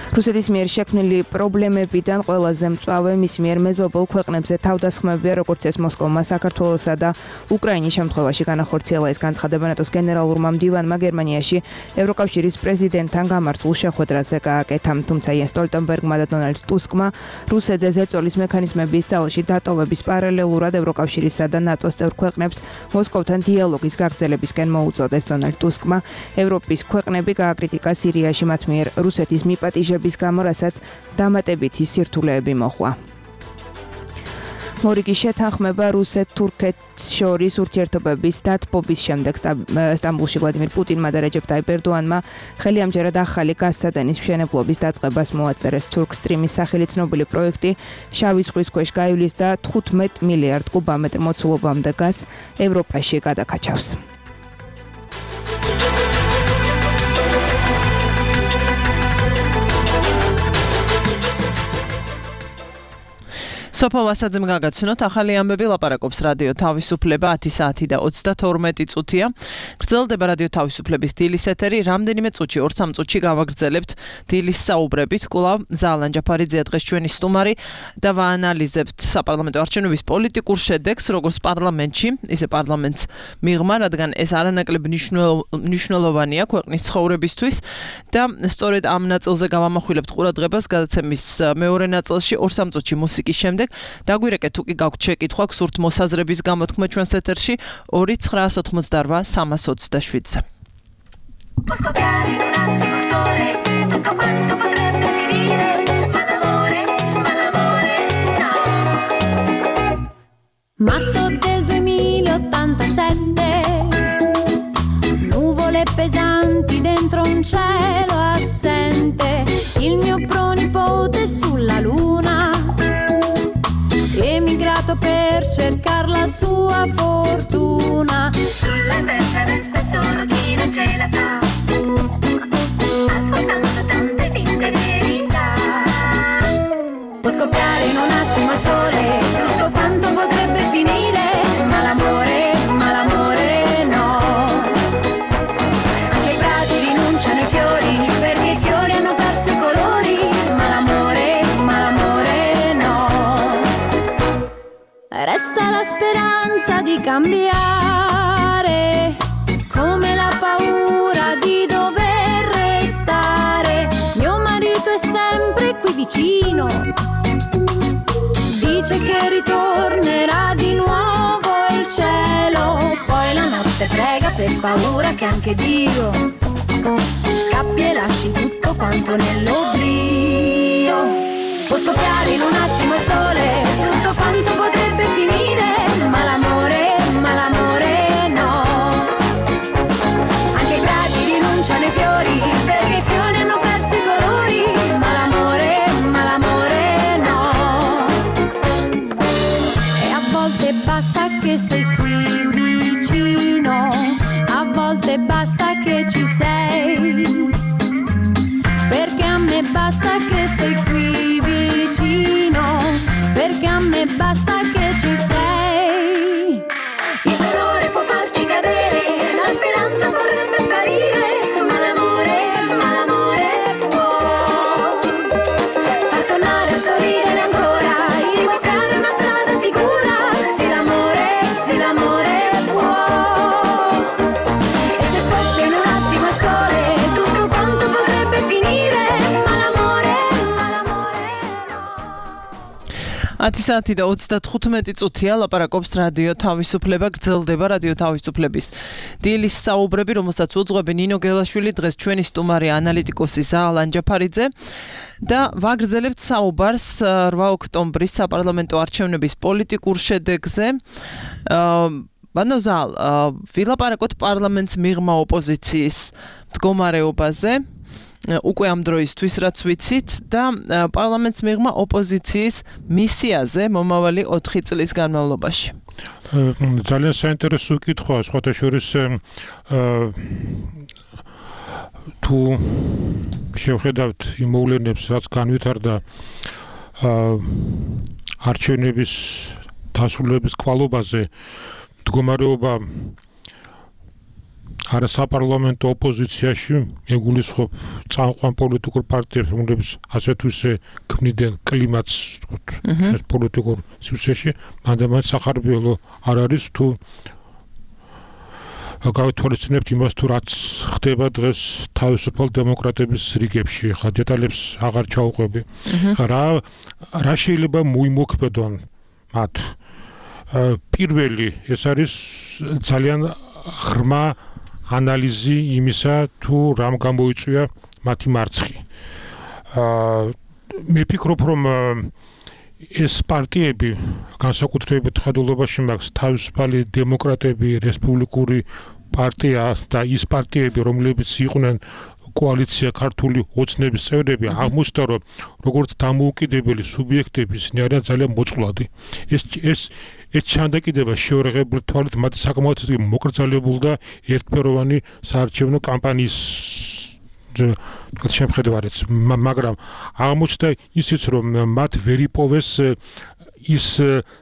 რუსეთის მიერ შექმნილი პრობლემებიდან ყველაზე მწვავე მის მიერ მეზობელ ქვეყნებზე თავდასხმებია, როგორც ეს მოსკოვმა საქართველოსა და უკრაინის შემთხვევაში განახორციელა. ეს განცხადება ნატოს გენერალურმა მდივანმა გერმანიაში ევროკავშირის პრეზიდენტთან გამართულ შეხვედრაზე გააკეთა. თუმცა იენს სტოლტენბერგმა და დონალდ ტუსკმა რუსეთზე ზეწოლის მექანიზმების ძალაში დატოვების პარალელურად ევროკავშირისა და ნატოს წევრ ქვეყნებს მოსკოვთან დიალოგის გაგრძელებისკენ მოუწოდეს. დონალდ ტუსკმა ევროპის ქვეყნები გააკრიტიკა სირიაში მათ მიერ რუსეთის მიპატიჟების გამო, რასაც დამატებითი სირთულეები მოჰყვა. მორიგის შეთანხმება რუსეთ-თურქეთს შორის ურთიერთობების დათბობის შემდეგ სტამბულში ვლადიმირ პუტინმა და რეჯეპ ტაიპ ერდოანმა ხელი ამჯერად ახალი გაზსადენის მშენებლობის დაწყებას მოაწერეს. თურქ სტრიმის სახელით ცნობილი პროექტი შავი ზღვის ქვეშ გაივლის და თხუთმეტ მილიარდ კუბამეტრ მოცულობამდე გაზს ევროპაში გადაკაჩავს. სოფო ვასაძემ გაგაცნოთ ახალი ამბები ლაპარაკობს რადიო თავისუფლება ათი საათი და ოცდათორმეტი წუთია. გრძელდება რადიო თავისუფლების დილის ეთერი. რამდენიმე წუთში ორ სამ წუთში გავაგრძელებთ დილის საუბრებით. კვლავ ზალან ჯაფარიძეა დღეს ჩვენი სტუმარი და ვაანალიზებთ საპარლამენტო არჩევნების პოლიტიკურ შედეგს, როგორც პარლამენტში, ისე პარლამენტს მიღმა, რადგან ეს არანაკლებ მნიშვნელოვანია ქვეყნის ცხოვრებისთვის და სწორედ ამ ნაწილზე გავამახვილებთ ყურადღებას გადაცემის მეორე ნაწილში ორ სამ წუთში მუსიკის შემდეგ. დაგვირეკეთ თუ კი გაქვთ შეკითხვა გსურთ მოსაზრების გამოთქმა ჩვენს ეთერში ორი ცხრა ოცდაოთხმოცდარვა სამას ოცდაშვიდზე. Marzo del duemilaottantasette, nuvole pesanti dentro un cielo assente, il mio pronipote sulla luna, emigrato per cercare la sua fortuna. Sulla terra resta solo chi non ce la fa, ascoltando tante finte verità. Può scoppiare in un attimo al sole tutto quanto potrebbe finire, ma l'amore, ma l'amore no. Anche i prati rinunciano ai fiori perché i fiori hanno perso i colori, ma l'amore, ma l'amore no. Resta la speranza di cambiare, come la paura di dover restare. Mio marito è sempre qui vicino, dice che ritornerà di nuovo il cielo. Poi la notte prega per paura che anche Dio scappi e lasci tutto quanto nell'oblio. Può scoppiare in un attimo il sole tutto quanto potrebbe finire, ma l'amore, ma l'amore no. Anche i prati rinunciano ai fiori me basta che sei qui vicino, perché a me basta che ci sei. Il dolore può farci cadere, la speranza vorrebbe sparire, ma l'amore, ma l'amore può far tornare a sorridere ancora, invocare una strada sicura. Sì l'amore, sì l'amore può. E se scoppia in un attimo il sole, tutto quanto potrebbe finire, ma l'amore, ma l'amore no. ათი საათი და ოცდათხუთმეტი წუთია ლაპარაკობს რადიო თავისუფლება, გრძელდება რადიო თავისუფლების დილის საუბრები, რომელსაც უძღვები ნინო გელაშვილი, დღეს ჩვენი სტუმარი ანალიტიკოსი ზაალ ანჯაფარიძე და ვაგრძელებთ საუბარს რვა ოქტომბრის საპარლამენტო არჩევნების პოლიტიკურ შედეგზე. ბანო ზაალ, ვილაპარაკოთ პარლამენტს მიღმა ოპოზიციის მდგომარეობაზე. უკვე ამ დროისთვის რაც ვიცით და პარლამენტს მიღმა ოპოზიციის მისიაზე მომავალი ოთხი წლის განმავლობაში. ძალიან საინტერესო კითხვაა, სხვათა შორის თუ შევხედავთ იმ მოვლენებს, რაც განვითარდა არჩევნების დასრულების კვალობაზე, მდგომარეობა არა საპარლამენტო ოპოზიციაში ეგულისხმობ წამყვან პოლიტიკურ პარტიებს, რომლებიც ასე თუ ისე ქმნიდნენ კლიმატს, ვთქვათ, პოლიტიკურ სივრცეში, მანდ-მანდ სახარბიელო არ არის თუ გავითვალისწინებთ იმას, თუ რაც ხდება დღეს თავისუფალ დემოკრატების რიგებში, ხა დეტალებს აღარ ჩაუყვები. რა რა შეიძლება მოიმოქმედონ მათ? პირველი, ეს არის ძალიან ღრმა ანალიზი იმისა, თუ რამ გამოიწვია მათი მარცხი. მე ვფიქრობ, რომ ეს პარტიები, განსაკუთრებით ხედულობაში მაქვს თავისუფალი დემოკრატები, რესპუბლიკური პარტია და ის პარტიები, რომლებიც იყვნენ კოალიცია ქართული ოცნების წევრები, აღმოჩნდა, რომ როგორც დამოუკიდებელი სუბიექტები ისინი არიან ძალიან მოწყვლადი. ეს ეს ეს ჩანდაკიდება შეურაღებული თვალით მათი საკმაოდ მოკრძალებული და ერთფეროვანი საარჩევნო კამპანიის შემხედარით, მაგრამ აღმოჩნდა ისიც, რომ მათ ვერ იპოვეს ის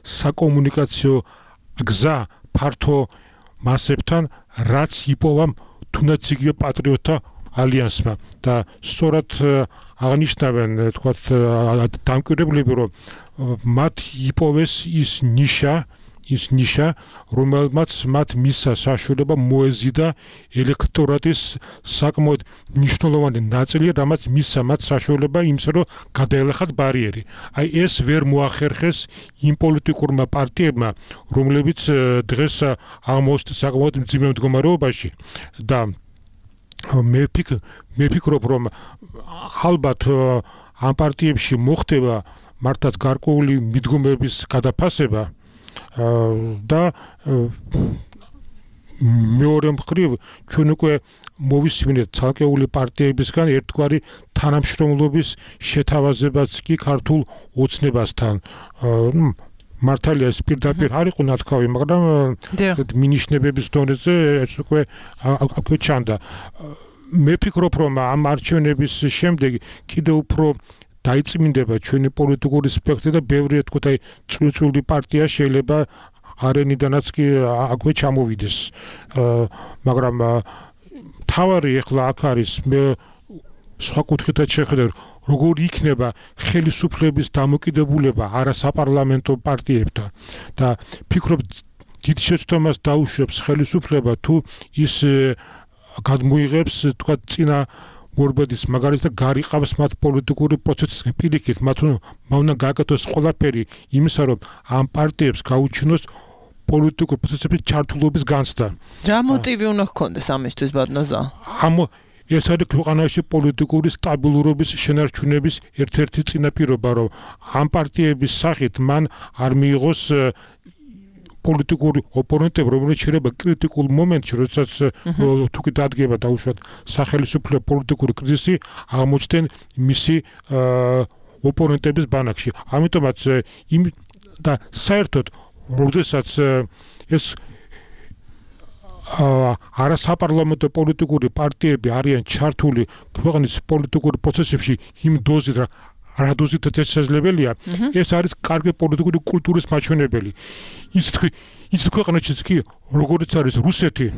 საკომუნიკაციო გზა ფართო მასებთან, რაც იპოვა თუნდაც იგივე პატრიოტთა ალიანსმა და სწორად აღნიშნავენ, თქვათ, დამკვირვებლები, რომ მათ იპოვეს ის ნიშა, ის ნიშა, რომელმაც მათ მისცა საშუალება მოეზიდა ელექტორატის საკმაოდ მნიშვნელოვანი ნაწილი, რამაც მისცა მათ საშუალება იმისა, რომ გადაელახათ ბარიერი. აი ეს ვერ მოახერხეს იმ პოლიტიკურმა პარტიებმა, რომლებიც დღეს აღმოჩნდა საკმაოდ მძიმე მდგომარეობაში და მე ვფიქრობ, რომ ალბათ ამ პარტიებში მოხდება მართლაც გარკვეული მიდგომების გადაფასება და მეორე მხრივ ჩვენ უკვე მოვისმინეთ ცალკეული პარტიებისგან ერთგვარი თანამშრომლობის შეთავაზებაც კი ქართულ ოცნებასთან. მართალია ეს პირდაპირ არ იყო ნათქვამი, მაგრამ მინიშნებების დონეზე ეს უკვე აქვე ჩანდა. მე ვფიქრობ, რომ ამ არჩევნების შემდეგ კიდევ უფრო დაიწმინდება ჩვენი პოლიტიკური სპექტრი და ბევრი თქვა აი წვრილ-წვრილი პარტია შეიძლება არენიდანაც კი აქვე ჩამოვიდეს. მაგრამ თავარი ახლა აქ არის, მე სხვა კუთხითაც შეხედავ, როგორ იქნება ხელისუფლების დამოკიდებულება არასაპარლამენტო პარტიებთან და ვფიქრობ, დიდ შეცდომას დაუშვებს ხელისუფლება თუ ის გადმოიღებს, თქვა, წინა მორბედის მაგალითად გარიყავს მათ პოლიტიკური პროცესის პირიქით, მათ უნდა გააკეთოს ყველაფერი იმისა, რომ ამ პარტიებს გაუჩინოს პოლიტიკური პროცესების ჩართულობის განცდა. რა მოტივი უნდა ჰქონდეს ამისთვის, ბატონო? ამ ეს არის ქვეყანაში პოლიტიკური სტაბილურობის შენარჩუნების ერთ-ერთი წინაპირობა, რომ ამ პარტიების სახით მან არ მიიღოს პოლიტიკური ოპონენტები, რომელიც შეიძლება კრიტიკულ მომენტში, როდესაც თუ კი დადგება დაუშვათ სახელმწიფო პოლიტიკური კრიზისი, აღმოჩნდნენ მისი ოპონენტების ბანაკში. ამიტომაც იმ და საერთოდ როდესაც ეს არასაპარლამენტო პოლიტიკური პარტიები არიან ჩართული ქვეყნის პოლიტიკური პროცესებში იმ დოზით რა დოზით შესაძლებელია ეს არის კარგი პოლიტიკური კულტურის მაჩვენებელი ის თქვი ის ქვეყნებშიც კი როგორც არის რუსეთი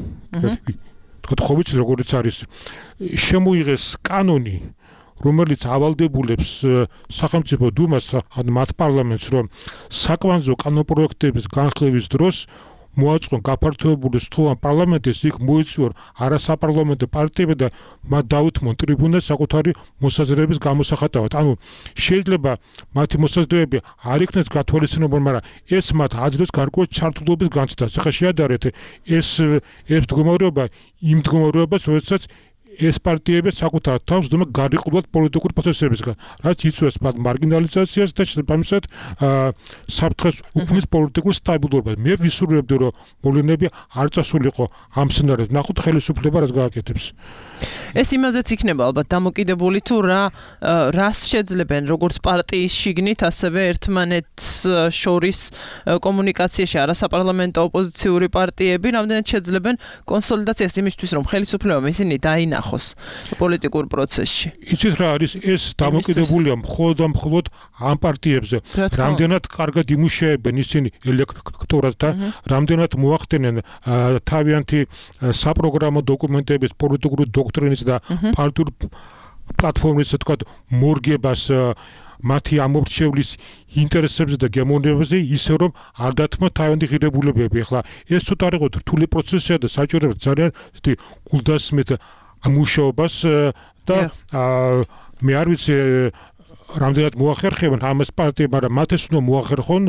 თქვა ხო ვიცი როგორც არის შემოიღეს კანონი რომელიც ავალდებულებს სახელმწიფო დუმას ან მათ პარლამენტს რომ საკვანძო კანონპროექტების განხილვის დროს მოაწყონ გაფართოებული სთხოვან პარლამენტის იქ მოიწვიონ არასაპარლამენტო პარტიები და მათ დაუთმონ ტრიბუნას საკუთარი მოსაზრების გამოსახატავად. ანუ შეიძლება მათი მოსაზრებები არ იქნეს გათვალისწინებულ, მაგრამ ეს მათ აძლევს გარკვეულ ჩართულობის განცდას. ახლა შეადარეთ ეს ეს მდგომარეობა იმ მდგომარეობას, როდესაც ეს პარტიები საკუთარ თავს დუმა გარიყულად პოლიტიკური პროცესებისგან, რაც იწვევს მათ მარგინალიზაციას და შესაბამისად საფრთხეს უქმნის პოლიტიკურ სტაბილურობას. მე ვისურვებდი, რომ მოვლენები არ წასულიყო ამ სცენარად. ნახოთ ხელისუფლება რაც გააკეთებს. ეს იმაზეც იქნება ალბათ დამოკიდებული თუ რა რას შეძლებენ როგორც პარტიის შიგნით, ასევე ერთმანეთს შორის კომუნიკაციაში არასაპარლამენტო ოპოზიციური პარტიები რამდენად შეძლებენ კონსოლიდაციას იმისთვის, რომ ხელისუფლებამ ისინი დაინახოს პოლიტიკურ პროცესში. იცით რა არის ეს დამოკიდებულია მხოლოდ და მხოლოდ ამ პარტიებზე. რამდენად კარგად იმუშავებენ ისინი ელექტორატს და რამდენად მოახდენენ თავიანთი საპროგრამო დოკუმენტების პოლიტიკური დოქტრინის და პარტიულ პლატფორმის თქვა მორგებას მათი ამორჩევლის ინტერესებზე და გემოვნებებზე ისე რომ არ დათმოთ თავიანთი ღირებულებები. ახლა ეს ცოტა იყო რთული პროცესია და საჭიროა ძალიან გულდასმით ამუშავებას და მე არ ვიცი რამდენად მოახერხებენ ამას პარტიებმა, მაგრამ მათ ეს უნდა მოახერხონ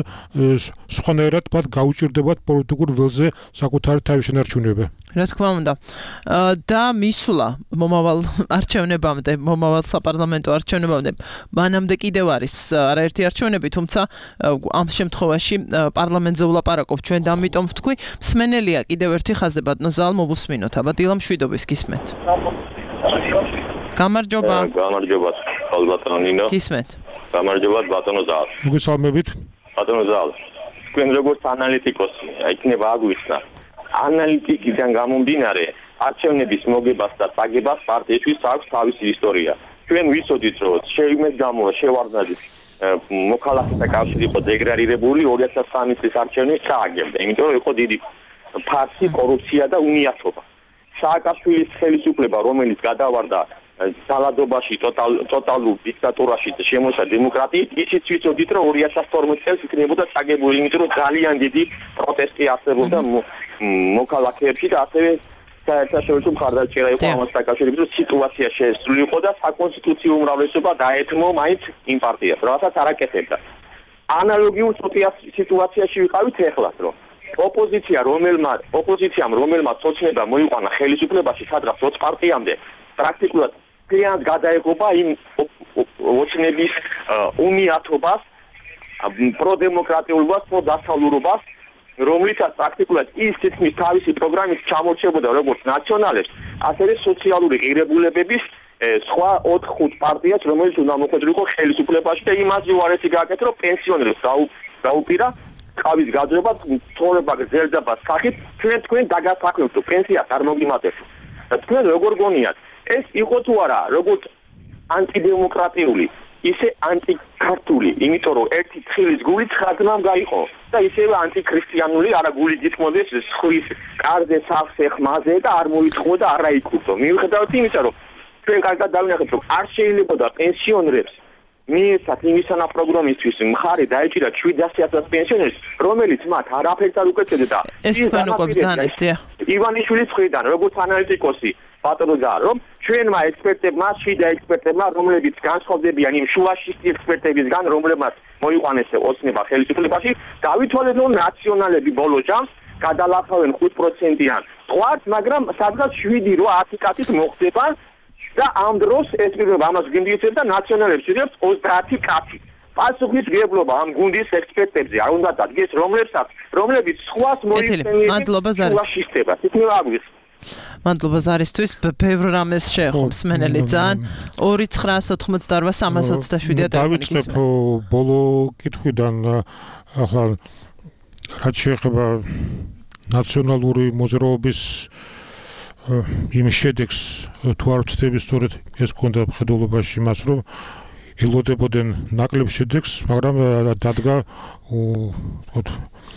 სხვანაირად მათ გაუჭირდებათ პოლიტიკურ ველზე საკუთარი თავის შენარჩუნება. რა თქმა უნდა. და მისვლა მომავალ არჩევნებამდე, მომავალ საპარლამენტო არჩევნებამდე, მანამდე კიდევ არის არაერთი არჩევნები, თუმცა ამ შემთხვევაში პარლამენტზე ვლაპარაკობ ჩვენ და ამიტომ ვთქვი, მსმენელია კიდევ ერთი ხაზზე ბატონო ზალ მოვუსმინოთ, აბა დილა მშვიდობის გისმენთ. გამარჯობა. გამარჯობა. ბატონო ნინო. გისმენთ. გამარჯობა ბატონო ზალ. მოგესალმებით. ბატონო ზალ. თქვენ როგორც ანალიტიკოსი, იქნება აგვიხსნა. ანალიტიკიდან გამომდინარე, არჩევნების მოგებას და წაგებას პარტიისთვის აქვს თავისი ისტორია. ჩვენ ვიცოდით, რომ შეიმეს გამო შევარდნაძის მოქალაქეთა კავშირი იყო დეგრადირებული ორი ათას სამი წლის არჩევნებს ჩააგებდა, იმიტომ რომ იყო დიდი ფარსი, კორუფცია და უნიათობა. სააკაშვილის ხელისუფლება, რომელიც გადავარდა ძალადობაში, ტოტალურ დიქტატურაში და შემოსა დემოკრატიით, ისიც ვიცოდით, რომ ორი ათას თორმეტ წელს იქნებოდა წაგებული, იმიტომ რომ ძალიან დიდი პროტესტი არსებობდა მოქალაქეებში და ასევე საერთაშორისო მხარდაჭერა იყო ამას დაკავშირებით, რომ სიტუაცია შესრულიყო და საკონსტიტუციო უმრავლესობა დაეთმო მაინც იმ პარტიას, რასაც არ აკეთებდა. ანალოგიურ სიტუაციაში ვიყავით ეხლაც, რომ ოპოზიცია რომელმა ოპოზიციამ რომელმაც ოცნება მოიყვანა ხელისუფლებაში, სადღაც ოც პარტიამდე პრაქტიკულად ძალიან გადაეღობა იმ ოცნების უნიათობას, პროდემოკრატიულობას, პროდასავლურობას, რომლითაც პრაქტიკულად ის თითქმის თავისი პროგრამით ჩამორჩებოდა როგორც ნაციონალებს, ასევე სოციალური ღირებულებების სხვა ოთხ ხუთ პარტიას, რომელიც უნდა მოხვედრილიყო ხელისუფლებაში და იმაზე უარესი გააკეთა, რომ პენსიონერებს დაუპირა ყავის გაძრება, ცხოვრება გრძელდება სახით, ჩვენ თქვენ დაგასაქმებთ, პენსიას არ მოგიმატებთ. და თქვენ როგორ გონიათ, ეს იყო თუ არა, როგორც ანტიდემოკრატიული, ისე ანტიქართული, იმიტომ რომ ერთი თხილის გული ცხრა გაიყო და ისევე ანტიქრისტიანული, არა გული გითმოდეს სხვის კარზე, სახლზე, ხმაზე და არ მოიწყო და არ აიკურთო. მიუხედავად იმისა, რომ ჩვენ კარგად დავინახეთ, რომ არ შეიძლებოდა პენსიონერებს მიეცათ იმისანა პროგრამისთვის მხარი დაეჭირა შვიდასი ათას პენსიონერს, რომელიც მათ არაფერს არ უკეთებდა. ეს თქვენ უკვე ბრძანეთ, ივანიშვილის მხრიდან, როგორც ანალიტიკოსი ბატონო ზალ, რომ ჩვენმა ექსპერტებმა, შიდა ექსპერტებმა, რომლებიც განსხვავდებიან იმ შუაშისტი ექსპერტებისგან, რომლებმაც მოიყვანეს ოცნება ხელისუფლებაში, დავითვალეთ, რომ ნაციონალები ბოლო ჯამს გადალახავენ ხუთ პროცენტიან ტყვარს, მაგრამ სადღაც შვიდი რვა ათი კაცით მოხდება და ამ დროს ეს პირობა ამას გინდიებს და ნაციონალებს იღებს ოცდაათი კაცი. პასუხისმგებლობა ამ გუნდის ექსპერტებზე არ უნდა დადგეს, რომლებსაც, რომლებიც სხვას მოიხსენიებენ შუაშისტებას. იქნება აგვიხსნა. მადლობა ზარისთვის, ბევრ რამეს შეეხობს მენელი ძალიან. ორი ცხრაას ოთხმოცდაორვა სამას ოცდაშვიდია ტელეფონი. დავიწყებ ბოლო კითხვიდან, ახლა რაც შეეხება ნაციონალური მოძრაობის იმ შედეგს თუ არ ვცდები სწორედ ეს ქონდა მხედველობაში მას რომ ელოდებოდნენ ნაკლებ შედეგს, მაგრამ დადგა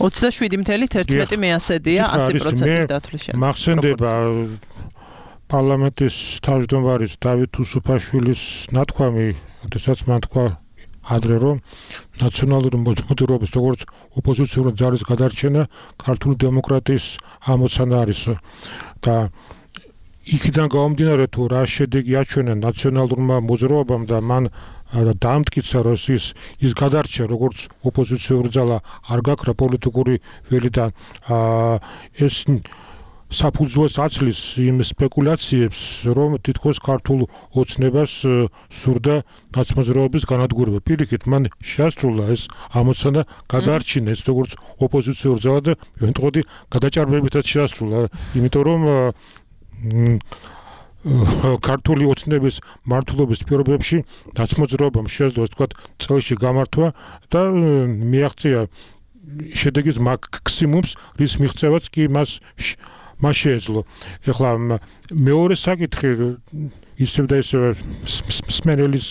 ოცდაშვიდი წუთი ერთმეტი მეასედია ასი პროცენტის დათვლის შემდეგ. მახსენდება პარლამენტის თავმჯდომარის დავით უსუფაშვილის ნათქვამი, როდესაც მან თქვა ადრე რომ ნაციონალური მოძრაობის როგორც ოპოზიციური ძალის გადარჩენა ქართული დემოკრატიის ამოცანა არის და იქიდან გამომდინარე თუ რა შედეგი აჩვენა ნაციონალურმა მოძრაობამ და მან დაამტკიცა რომ ის ის გადარჩა როგორც ოპოზიციური ძალა არ გაქრა პოლიტიკური ველიდან ეს საფუძველს აცლის იმ სპეკულაციებს რომ თითქოს ქართულ ოცნებას სურდა ნაცმოძრაობის განადგურება. პირიქით მან შეასრულა ეს ამოცანა გადაარჩინა ეს როგორც ოპოზიციური ძალა და ვენტყოდი გადაჭარბებითაც შეასრულა, იმიტომ რომ ქართული ოცნების მართლობის პირობებში ნაცმოძრაობამ შეძლო თქვა წელში გამართვა და მიაღწია შედეგის მაქსიმუმს, რის მიღწევაც კი მას მას შეეძლო. ეხლა მეორე საკითხი ისევ და ისევ სმენელის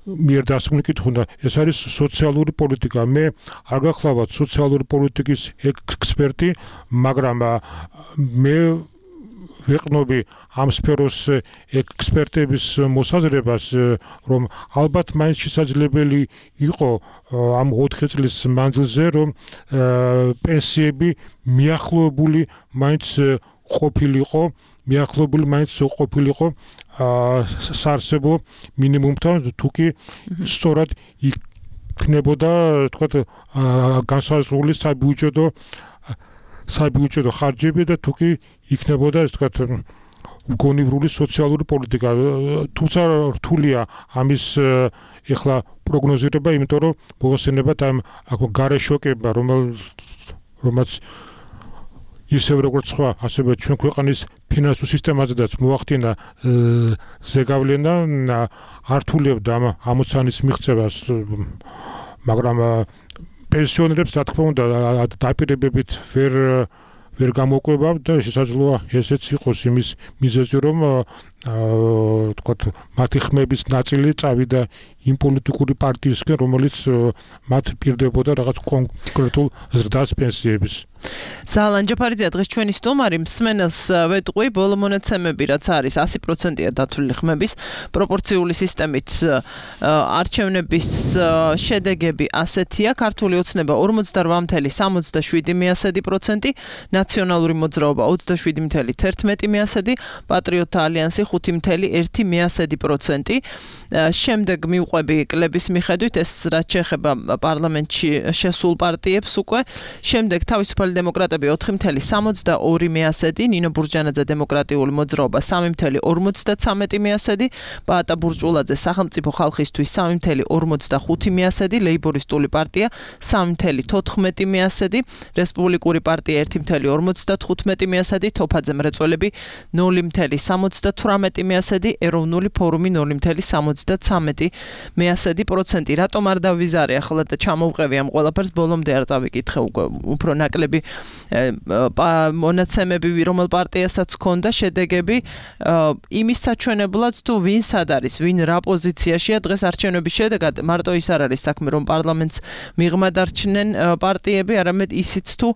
მიერ დასმული კითხვა, ეს არის სოციალური პოლიტიკა. მე არ გახლავთ სოციალური პოლიტიკის ექსპერტი, მაგრამ მე ვეყნობი ამ სფეროს ექსპერტების მოსაზრებას, რომ ალბათ მაინც შესაძლებელი იყო ამ ოთხი წლის მანძილზე, რომ პენსიები მიახლოებული მაინც ყოფილიყო, მიახლოებული მაინც ყოფილიყო საარსებო მინიმუმთან, თუ კი სწორად იქნებოდა, თქვათ, განსაზღვრული საბიუჯეტო საბიუჯეტო ხარჯები და თუ კი იქნებოდა ეს თქვათ გონივრული სოციალური პოლიტიკა. თუმცა რთულია ამის ეხლა პროგნოზირება, იმიტომ რომ მოხსენებათ ამ გარე შოკება, რომელიც ისევ როგორც სხვა, ასევე ჩვენ ქვეყნის ფინანსურ სისტემაზედაც მოახდინა ზეგავლენა, ართულებდა ამ ამოცანის მიღწევას, მაგრამ პენსიონერებს რა თქმა უნდა დაპირებებით ვერ ვერ გამოყვება და შესაძლოა ესეც იყოს იმის მიზეზი, რომ თქვათ მათი ხმების ნაწილი წავიდა იმ პოლიტიკური პარტიისკენ, რომელიც მათ პირდებოდა რაღაც კონკრეტულ ზრდას პენსიების. ზალან ჯაფარიძე დღეს ჩვენი სტუმარი, მსმენელს ვეტყვი, ბოლო მონაცემები რაც არის ასი პროცენტია დათვლილი ხმების პროპორციული სისტემით არჩევნების შედეგები ასეთია: ქართული ოცნება ორმოცდარვა წუთი სამოცდაშვიდი პროცენტი, ნაციონალური მოძრაობა ოცდაშვიდი წუთი ერთმეტი პროცენტი, პატრიოტთა ალიანსი ხუთი წუთი ერთი პროცენტი. შემდეგ მივყვები კლების მიხედვით, ეს რაც შეეხება პარლამენტში შესულ პარტიებს უკვე. შემდეგ თავისუფალი დემოკრატები ოთხი წუთი სამოცდაორი პროცენტი, ნინო ბურჯანაძე დემოკრატიული მოძრაობა სამი წუთი ორმოცდაცამეტი პროცენტი, პაატა ბურჭულაძე სახელმწიფო ხალხისთვის სამი წუთი ორმოცდახუთი პროცენტი, ლეიბორისტული პარტია სამი წუთი თოთხმეტი პროცენტი, რესპუბლიკური პარტია ერთი წუთი ორმოცდათხუთმეტი პროცენტი, თოფაძე მრეწველები ნული წუთი სამოცდათვრამეტი პროცენტი, ეროვნული ფორუმი ნული წუთი სამოცდაცამეტი პროცენტი. რატომ არ დავიზარე ახლა და ჩამოვყევი ამ ყველაფერს, ბოლომდე არ წავიკითხე უკვე უფრო ნაკლები მონაცემები რომელ პარტიასაც ჰქონდა შედეგები, იმის საჩვენებლად თუ ვინ სად არის, ვინ რა პოზიციაშია დღეს არჩევნების შედეგად, მარტო ის არ არის საქმე, რომ პარლამენტს მიღმა დარჩნენ პარტიები, არამედ ისიც თუ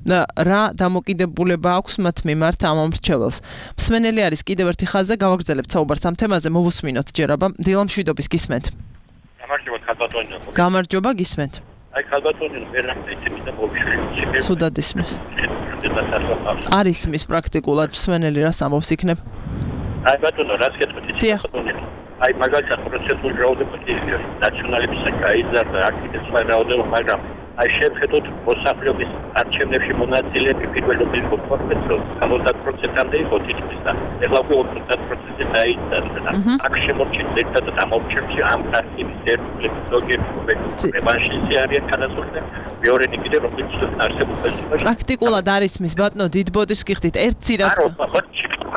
რა დამოკიდებულება აქვს მათ მიმართ ამ ამრჩეველს. მსმენელი არის კიდევ ერთი ხაზზე, გავაგრძელებთ საუბარს ამ თემაზე, მოვუსმინოთ ჯერ აბა. დილა მშვიდობის გისმენთ. გამარჯობა ხალბატონო. გამარჯობა გისმენთ. აი ხალბატონო ვერაფერი და მოვიშვი. სუდად ისმის. არ ისმის პრაქტიკულად მსმენელი რას ამბობს იქნებ? აი ბატონო, რას გეტყვით? აი მაგალითად პროცესული რაოდენობა ნაციონალების საკაიზარდა აქტივისტთა რაოდენობა, მაგრამ აი შევხედოთ მოსახლეობის არჩევნებში მონაწილეები პირველობის პროფესორს ოცდაათ პროცენტამდე იყო თითქმის და ეხლა უკვე ოცდაათ პროცენტი დაიწყება. აქ შემორჩენილ ერთადად ამ ოფჩერში ამ პარტიების ერთგულების ზოგიერთი რევანშისტი არიან განასხვავებული. მეორენი კიდე რომელიც არსებობს. პრაქტიკულად არის მის ბატონო დიდბოდის გიხდით ერთ ძირას.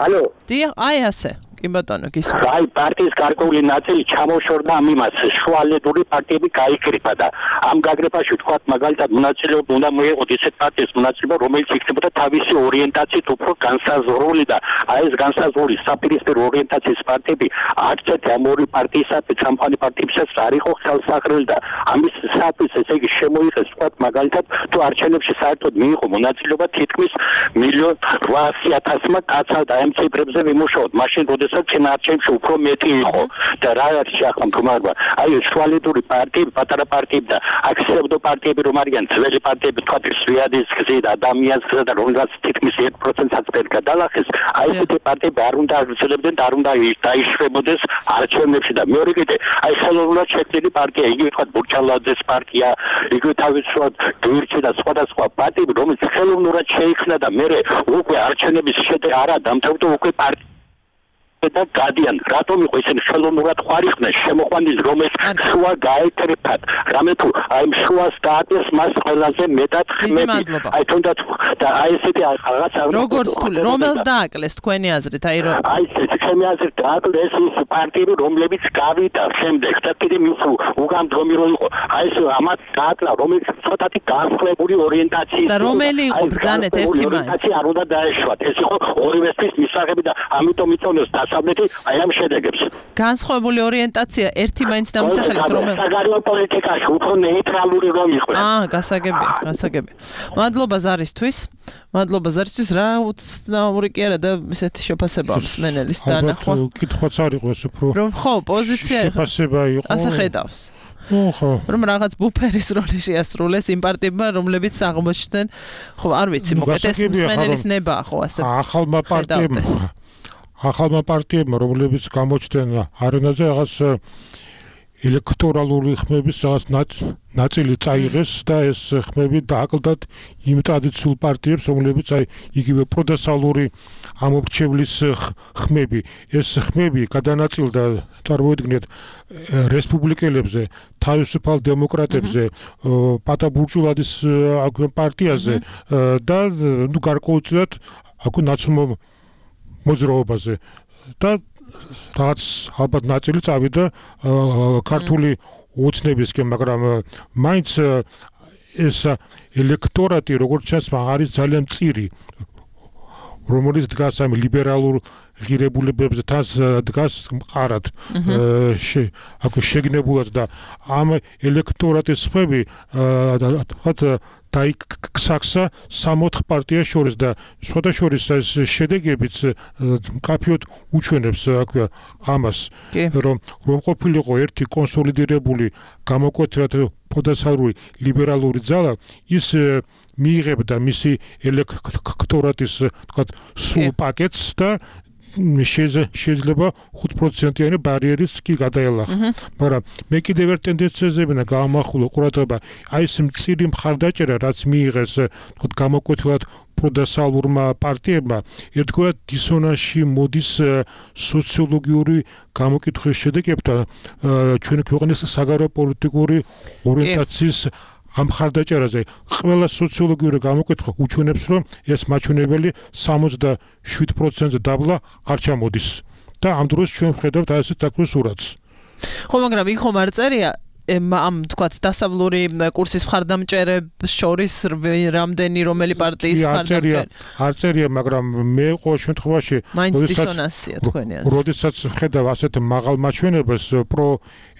ალო. დიახ, აი ასე. კი ბატონო, გისმენთ. აი, პარტიის გარკვეული ნაწილი ჩამოშორდა ამ იმას, შუალედური პარტიები გაიკრიფა და ამ გაგრეფაში თქვათ მაგალითად მონაწილეობა უნდა მოეღოთ ისეთ პარტიის მონაწილეობა, რომელიც იქნებოდა თავისი ორიენტაციით უფრო განსაზღვრული და აი ეს განსაზღვრული საპირისპირო ორიენტაციის პარტიები არცერთ ამ ორი პარტიისათვის, სამყარო პარტიებსაც არ იყო ხელსაყრელი და ამის საფის ესე იგი შემოიღეს თქვათ მაგალითად თუ არჩევნებში საერთოდ მიიღო მონაწილეობა თითქმის მილიონ რვაასი ათასმა კაცმა და ამ ციფრებზე ვიმუშაოთ მაშინ როდესაც არჩევნებში უფრო მეტი იყო და რა არის ახლა მდგომარეობა აი შუალედური პარტიები პატარა პარტიები და აქცევდო პარტიები რომ არიან ძველი პარტიები თქვათ ზვიადის გზით ადამიანს გზა და რომელსაც თითქმის ერთ პროცენტსაც ვერ გადალახეს აი ესეთი პარტიები არ უნდა აღწევდნენ და არ უნდა დაიშვებოდეს არჩევნებში და მეორე კიდე აი ხელოვნურად შექმნილი პარტია იგივე თქვათ ბურჩალაძეს პარტია იგივე თავისუფლად გვირჩი და სხვადასხვა პარტიები რომელიც ხელოვნურად შეიქმნა და მე უკვე არჩევნების შედეგი არა დამთავრდა უკვე პარტია და გადიან რატომ იყო ისინი ხელოვნურად ხარიხდნენ შემოყვანის რომელიც შუა გაეკრიფათ რამე თუ აი შუას დაადეს მას ყველაზე მეტად ხმები აი თუნდაც და აი ესეთი რაღაცა როგორც თუ რომელს დააკლეს თქვენი აზრით აი რომ აი ეს ჩემი აზრით დააკლეს ის პარტიები რომლებიც გავიდა შემდეგ და კიდე მის უგამდგომი რო იყო აი ეს ამათ დააკლა რომელიც ცოტათი განსხვავებული ორიენტაციის და რომელი იყო ბრძანეთ ერთი მაინც არ უნდა დაეშვათ ეს იყო ორივესთვის მისაღები და ამიტომ იწონეს დასავლეთი აი ამ შედეგებს განსხვავებული ორიენტაცია ერთი მაინც დამისახელეთ რომელ საგარეო პოლიტიკაში უფრო ნეიტრალური რომ იყო აა გასაგებია გასაგებია მადლობა ზარისთვის მადლობა ზარისთვის რა უცნაური კი არა და ესეთი შეფასება მსმენელის დანახვა კითხვაც არ იყო ეს უფრო რომ ხო პოზიცია შეფასება იყო ასე ხედავს ხო რომ რაღაც ბუფერის როლი შეასრულეს იმ პარტიებმა რომლებიც აღმოჩნდნენ ხო არ ვიცი მოკეთ ეს მსმენელის ნება ხო ასე ახალმა პარტიებმა ახალმა პარტიებმა რომლებიც გამოჩნდნენ არენაზე რაღაც ელექტორალური ხმების რაღაც ნაწილი წაიღეს და ეს ხმები დააკლდათ იმ ტრადიციულ პარტიებს რომლებიც აი იგივე პროდესალური ამორჩევლის ხმები ეს ხმები გადანაწილდა წარმოიდგინეთ რესპუბლიკელებზე თავისუფალ დემოკრატებზე პატაბურჭულადის პარტიაზე და ნუ გარკვეულწილად აქ ნაცნობ მოძრაობაზე და რაც ალბათ ნაწილი წავიდა ქართული ოცნებისკენ, მაგრამ მაინც ეს ელექტორატი როგორც ჩანს არის ძალიან მწირი რომელიც დგას ამ ლიბერალურ ღირებულებებზე თან დგას მყარად აქ შეგნებულად და ამ ელექტორატის ხმები თქვათ დაიქცახა სამოთხ პარტიას შორის და სხვათა შორის ეს შედეგებიც მკაფიოდ უჩვენებს აქვე ამას რომ რომ ყოფილიყო ერთი კონსოლიდირებული გამოკვეთილად პროდესალური ლიბერალური ძალა ის მიიღებდა მისი ელექტორატის თქვათ სულ პაკეტს და შეიძლება ხუთ პროცენტიანი ბარიერის კი გადაელახა. მაგრამ მე კიდევ ერთ ტენდენციაზე ვინა გამახვილო ყურადღება აი ეს მწირი მხარდაჭერა რაც მიიღეს თქვათ გამოკვეთილად პროდესალურმა პარტიებმა ერთგვარად დისონანსში მოდის სოციოლოგიური გამოკითხვის შედეგებთან ჩვენი ქვეყნის საგარეო პოლიტიკური ორიენტაციის ამ ხარდაჭერაზე ყველა სოციოლოგიური გამოკითხვა უჩვენებს რომ ეს მაჩვენებელი სამოცდაშვიდ პროცენტზე დაბლა არ ჩამოდის და ამ დროს ჩვენ ვხედავთ აი ესეთ დაკვრის სურათს ხო მაგრამ იქ ხომ არ წერია ამ თქვათ დასავლური კურსის მხარდამჭერებს შორის რამდენი რომელი პარტიის მხარდამჭერი არ წერია მაგრამ მე ყოველ შემთხვევაში მაინც დისონანსია თქვენი აზრით როდესაც ვხედავ ასეთ მაღალ მაჩვენებელს პრო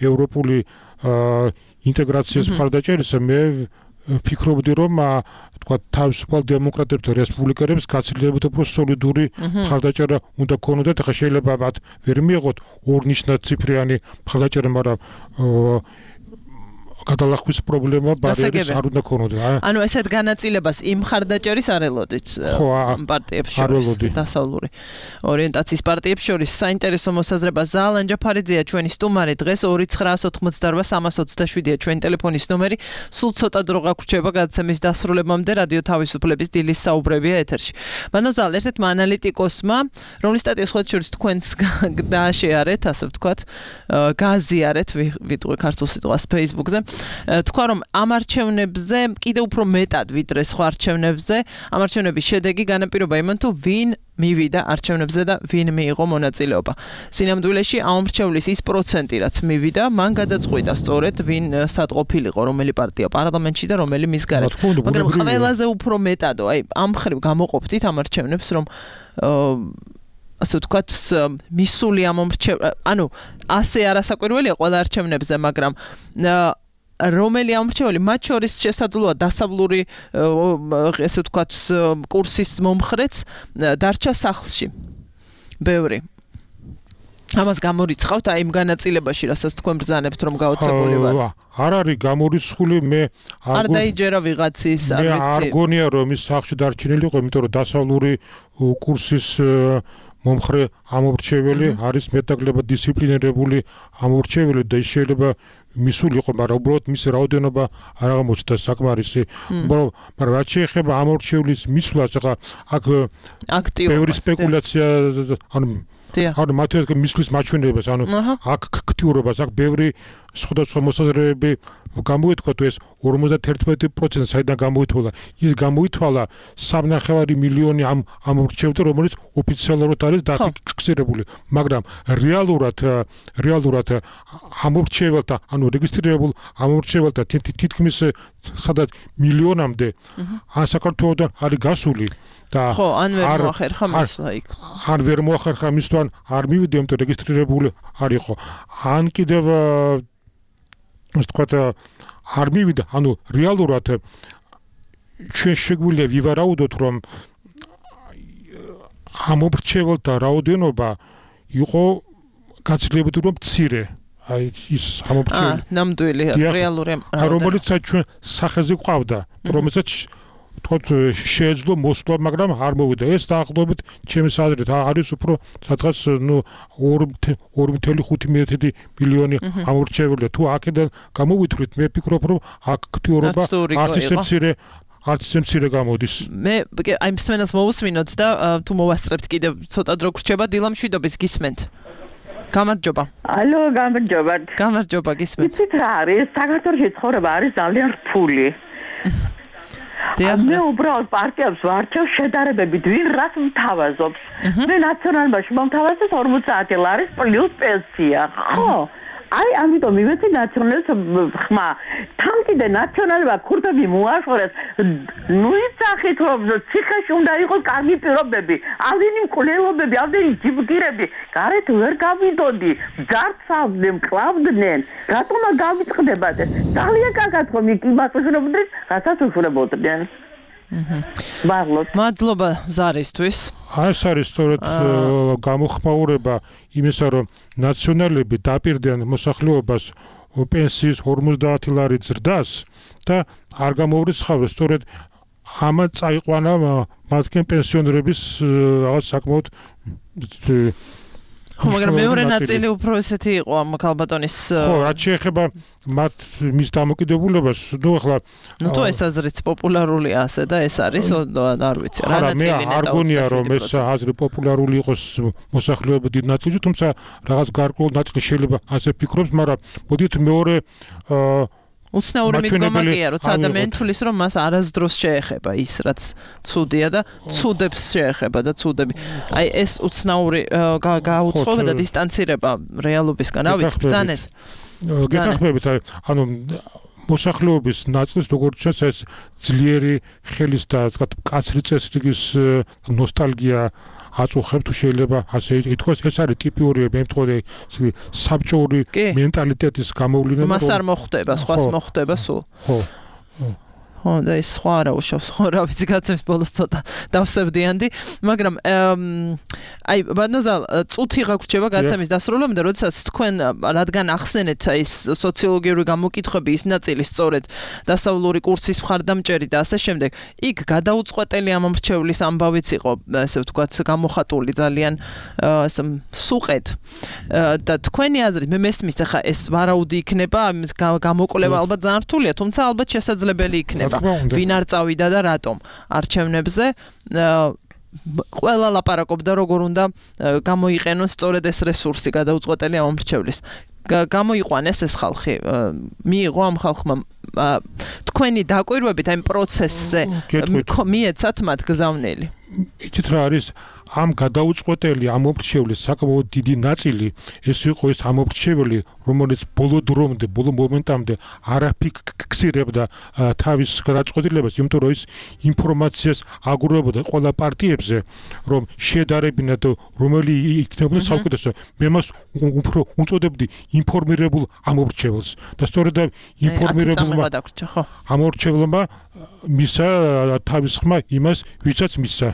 ევროპული ინტეგრაციის მხარდაჭერისა მე ვფიქრობდი რომ თქვა თავისუფალ დემოკრატებთან რესპუბლიკელებს გაცილებით უფრო სოლიდური მხარდაჭერა უნდა ქონოდათ ახლა შეიძლება მათ ვერ მიიღოთ ორნიშნაციფრიანი მხარდაჭერა მაგრამ გადალახვის პრობლემა ბარიერის არ უნდა ქონოდა. ანუ ესეთ განაწილებას იმ მხარდაჭერის არ ელოდით პარტიებს შორის დასავლური ორიენტაციის პარტიებს შორის საინტერესო მოსაზრება ზალან ჯაფარიძეა ჩვენი სტუმარი დღეს ორი ცხრაას ოცდაოთხმოცდარბა სამას ოცდაშვიდია ჩვენი ტელეფონის ნომერი სულ ცოტა დრო გაგვრჩება გადაცემის დასრულებამდე რადიო თავისუფლების დილის საუბრებია ეთერში. მანო ზალ ერთ-ერთმა ანალიტიკოსმა რომლის სტატიას ხოთ შორის თქვენს დააშეარეთ ასე ვთქვათ გააზიარეთ ვიტყვი ქართულ სიტყვას Facebook-ზე თქვა რომ ამ არჩევნებზე კიდევ უფრო მეტად ვიდრე სხვა არჩევნებზე ამ არჩევნების შედეგი განაპირობა იმან თუ ვინ მივიდა არჩევნებზე და ვინ მიიღო მონაწილეობა. სინამდვილეში ამომრჩევლის ის პროცენტი, რაც მივიდა, მან გადაწყვიტა სწორედ ვინ სადყოფილიყო, რომელი პარტია პარლამენტში და რომელი მის გარეთ. მაგრამ ყველაზე უფრო მეტადო, აი ამ ხრივ გამოყოფდით ამ არჩევნებს, რომ ასე ვთქვათ, მისული ამომრჩევ, ანუ ასე არასაკვირველია ყველა არჩევნებზე, მაგრამ რომელი ამორჩეული მათ შორის შესაძლოა დასავლური ესე ვთქვათ კურსის მომხრეც დარჩა სახლში. ბევრი. ამას გამორიცხავთ აი იმ განაწილებაში, რასაც თქვენ ბრძანებთ, რომ გაოცებული ვარ. არ არის გამორიცხული, მე არ დაიჯერა ვიღაცის, არ ვიცი. მე არ გონია რომ ის სახლში დარჩენილი იყო, იმიტომ რომ დასავლური კურსის მომხრე ამორჩეველი არის მეტნაკლებად დისციპლინირებული ამორჩეველი და შეიძლება მისული იყო, მაგრამ უბრალოდ მის რაოდენობა არ აღმოჩნდა საკმარისი. მაგრამ რაც შეეხება ამორჩევლის მისვლას, ახლა აქ ბევრი სპეკულაცია, ანუ ანუ მათი მისვლის მაჩვენებლებს, ანუ აქ აქტიურობას, აქ ბევრი სხვადასხვა მოსაზრებები გამოითქვა, თუ ეს ორმოცდაერთმეტი პროცენტი საიდან გამოითვალა. ის გამოითვალა სამნახევარი მილიონი ამ ამორჩევლთა, რომელიც ოფიციალურად არის დაფიქსირებული, მაგრამ რეალურად რეალურად ამორჩევლთა, ანუ რეგისტრირებულ ამორჩევლთა თითქმის სადაც მილიონამდე ან საქართველოდან არის გასული. ხო, ან ვერ მოახერხა მისვლა იქ. ან ვერ მოახერხა მისვლა, არ მივიდა, იმიტომ რეგისტრირებული არ იყო. ან კიდევ ასე ვთქვათ, არ მივიდა, ანუ რეალურად ჩვენ შეგვიძლია ვივარაუდოთ, რომ ამორჩევლთა რაოდენობა იყო გაცილებით უფრო მცირე. აი ის ამორჩეველი. აა, ნამდვილი რეალური რაოდენობა. რომელიც ჩვენ სახეზე ყავდა, რომელსაც თქოთ შეეძლო მოსვლა, მაგრამ არ მოვიდა. ეს დაახლოებით ჩემს აზრით არის უფრო სადღაც ნუ ორი წუთი ხუთი მილიონი ამორჩეველია. თუ აქედან გამოვითვლით, მე ვფიქრობ, რომ აქტიურობა არც ისე მცირე არც ისე მცირე გამოდის. მე აი მსმენელს მოусმინოთ და თუ მოვასწრებთ კიდევ ცოტა დრო გრჩება, დილა მშვიდობის გისმენთ. გამარჯობა. ალო, გამარჯობა. გამარჯობა, გისმენთ. იცით რა არის? საქართველოში ცხოვრება არის ძალიან რთული. მე უბრალოდ პარტიებს ვარჩევ შედარებებით, ვინ რას მთავაზობს. მე ნაციონალობაში მომთავაზებს ორმოცდაათი ლარის პლუს პენსია. ხო? აი, ამიტომ მივეცი ნაციონალებს ხმა. თან კიდე ნაციონალმა ქურთები მოაშორეს. ნუ იცახით, რომ ციხეში უნდა იყოს კარგი პირობები, ამდენი მკვლელობები, ამდენი ჯიბგირები. გარეთ ვერ გავიდოდი, ძარცავდნენ, მკლავდნენ. რატომა გავიწყდებათ? ძალიან კარგად ხომ იმას უშულებდნენ, რასაც უშულებოდნენ. მადლობა ზარისთვის. ეს არის სწორედ გამოხმაურება იმისა, რომ ნაციონალები დაპირდნენ მოსახლეობას პენსიის ორმოცდაათი ლარით ზრდას და არ გამოურიცხავდა სწორედ ამან წაიყვანა მათგან პენსიონერების რაღაც საკმაოდ ხო, მაგრამ მეორე ნაწილი უფრო ესეთი იყო ამ ქალბატონის ხო, რაც შეეხება მათ მის დამოკიდებულებას, ნუ ახლა ნუ თუ ეს აზრიც პოპულარულია ასე და ეს არის, არ ვიცი, რა ნაწილი ნეტავ. არა, არ გონია რომ ეს აზრი პოპულარული იყოს მოსახლეობის დიდ ნაწილში, თუმცა რაღაც გარკვეულ ნაწილი შეიძლება ასე ფიქრობს, მაგრამ მოდით მეორე უცნაური მიდგომა კი არა, როცა ადამიანი თulis რომ მას არასდროს შეეხება ის, რაც ცუდია და ცუდებს შეეხება და ცუდები. აი ეს უცნაური გაუწყობა და დისტანცირება რეალობისგან, რა ვიცი, ბრძანეთ. გეთანხმებით, ანუ მოსახლეობის ნაწილს როგორც ჩანს ეს ძლიერი ხელის და თქვა კაცრი წესრიგის ნოსტალგია აწუხებს, თუ შეიძლება ასე ითქვას, ეს არის ტიპიური მე მეთქოდი საბჭოური მენტალიტეტის გამოვლენა. მას არ მოხვდება, სხვას მოხვდება სულ. ხო. ხო, და ის სხვა არა უშავს, ხო, რა ვიცი, გაცემს ბოლოს ცოტა დავსევდიანდი, მაგრამ აი, ბატონო, წუთი გაგვრჩება გაცემის დასრულებამდე, როდესაც თქვენ რადგან ახსენეთ აი ეს სოციოლოგიური გამოკითხვები, ის ნაწილი სწორედ დასავლური კურსის მხარდამჭერი და ასე შემდეგ, იქ გადაუწყვეტელი ამორჩევლის ამბავიც იყო, ასე ვთქვათ, გამოხატული ძალიან სუყედ. და თქვენი აზრით, მე მესმის, ახლა ეს ვარაუდი იქნება, ამის გამოკვლევა ალბათ ძალიან რთულია, თუმცა ალბათ შესაძლებელი იქნება. ვინ არ წავიდა და რატომ არჩევნებზე ყველა ლაპარაკობდა როგორ უნდა გამოიყენოს სწორედ ეს რესურსი გადაუწყვეტელი ამორჩევლის. გამოიყვანეს ეს ხალხი, მიიღო ამ ხალხმა თქვენი დაკვირვებით აი პროცესზე მიეცათ მათ გზავნილი. იცით რა არის ამ გადაუწყვეტელი ამომრჩევლის საკმაოდ დიდი ნაწილი ეს იყო ეს ამომრჩეველი, რომელიც ბოლო დრომდე, ბოლო მომენტამდე არ აფიქსირებდა თავის გადაწყვეტილებას, იმიტომ რომ ის ინფორმაციას აგურებოდა ყველა პარტიებზე, რომ შედარებინათ რომელი იქნებოდა საუკეთესო. მე მას უფრო უწოდებდი ინფორმირებულ ამომრჩეველს და სწორედ ინფორმირებულმა ამომრჩეველმა მისა თავის ხმა იმას, ვისაც მისცა.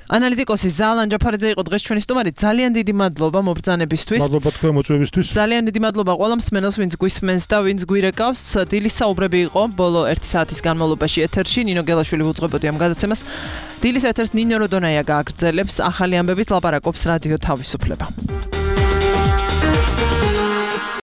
ანალიტიკოსი ზალან ჯაფარიძე იყო დღეს ჩვენი სტუმარი. ძალიან დიდი მადლობა მობრძანებისთვის. მადლობა თქვენ მოწვევისთვის. ძალიან დიდი მადლობა ყველა მსმენელს, ვინც გვისმენს და ვინც გვირეკავს. დილის საუბრები იყო ბოლო ერთი საათის განმავლობაში ეთერში. ნინო გელაშვილი უძღვებოდი ამ გადაცემას. დილის ეთერს ნინო როდონაია გააგრძელებს. ახალი ამბებით ლაპარაკობს რადიო თავისუფლება.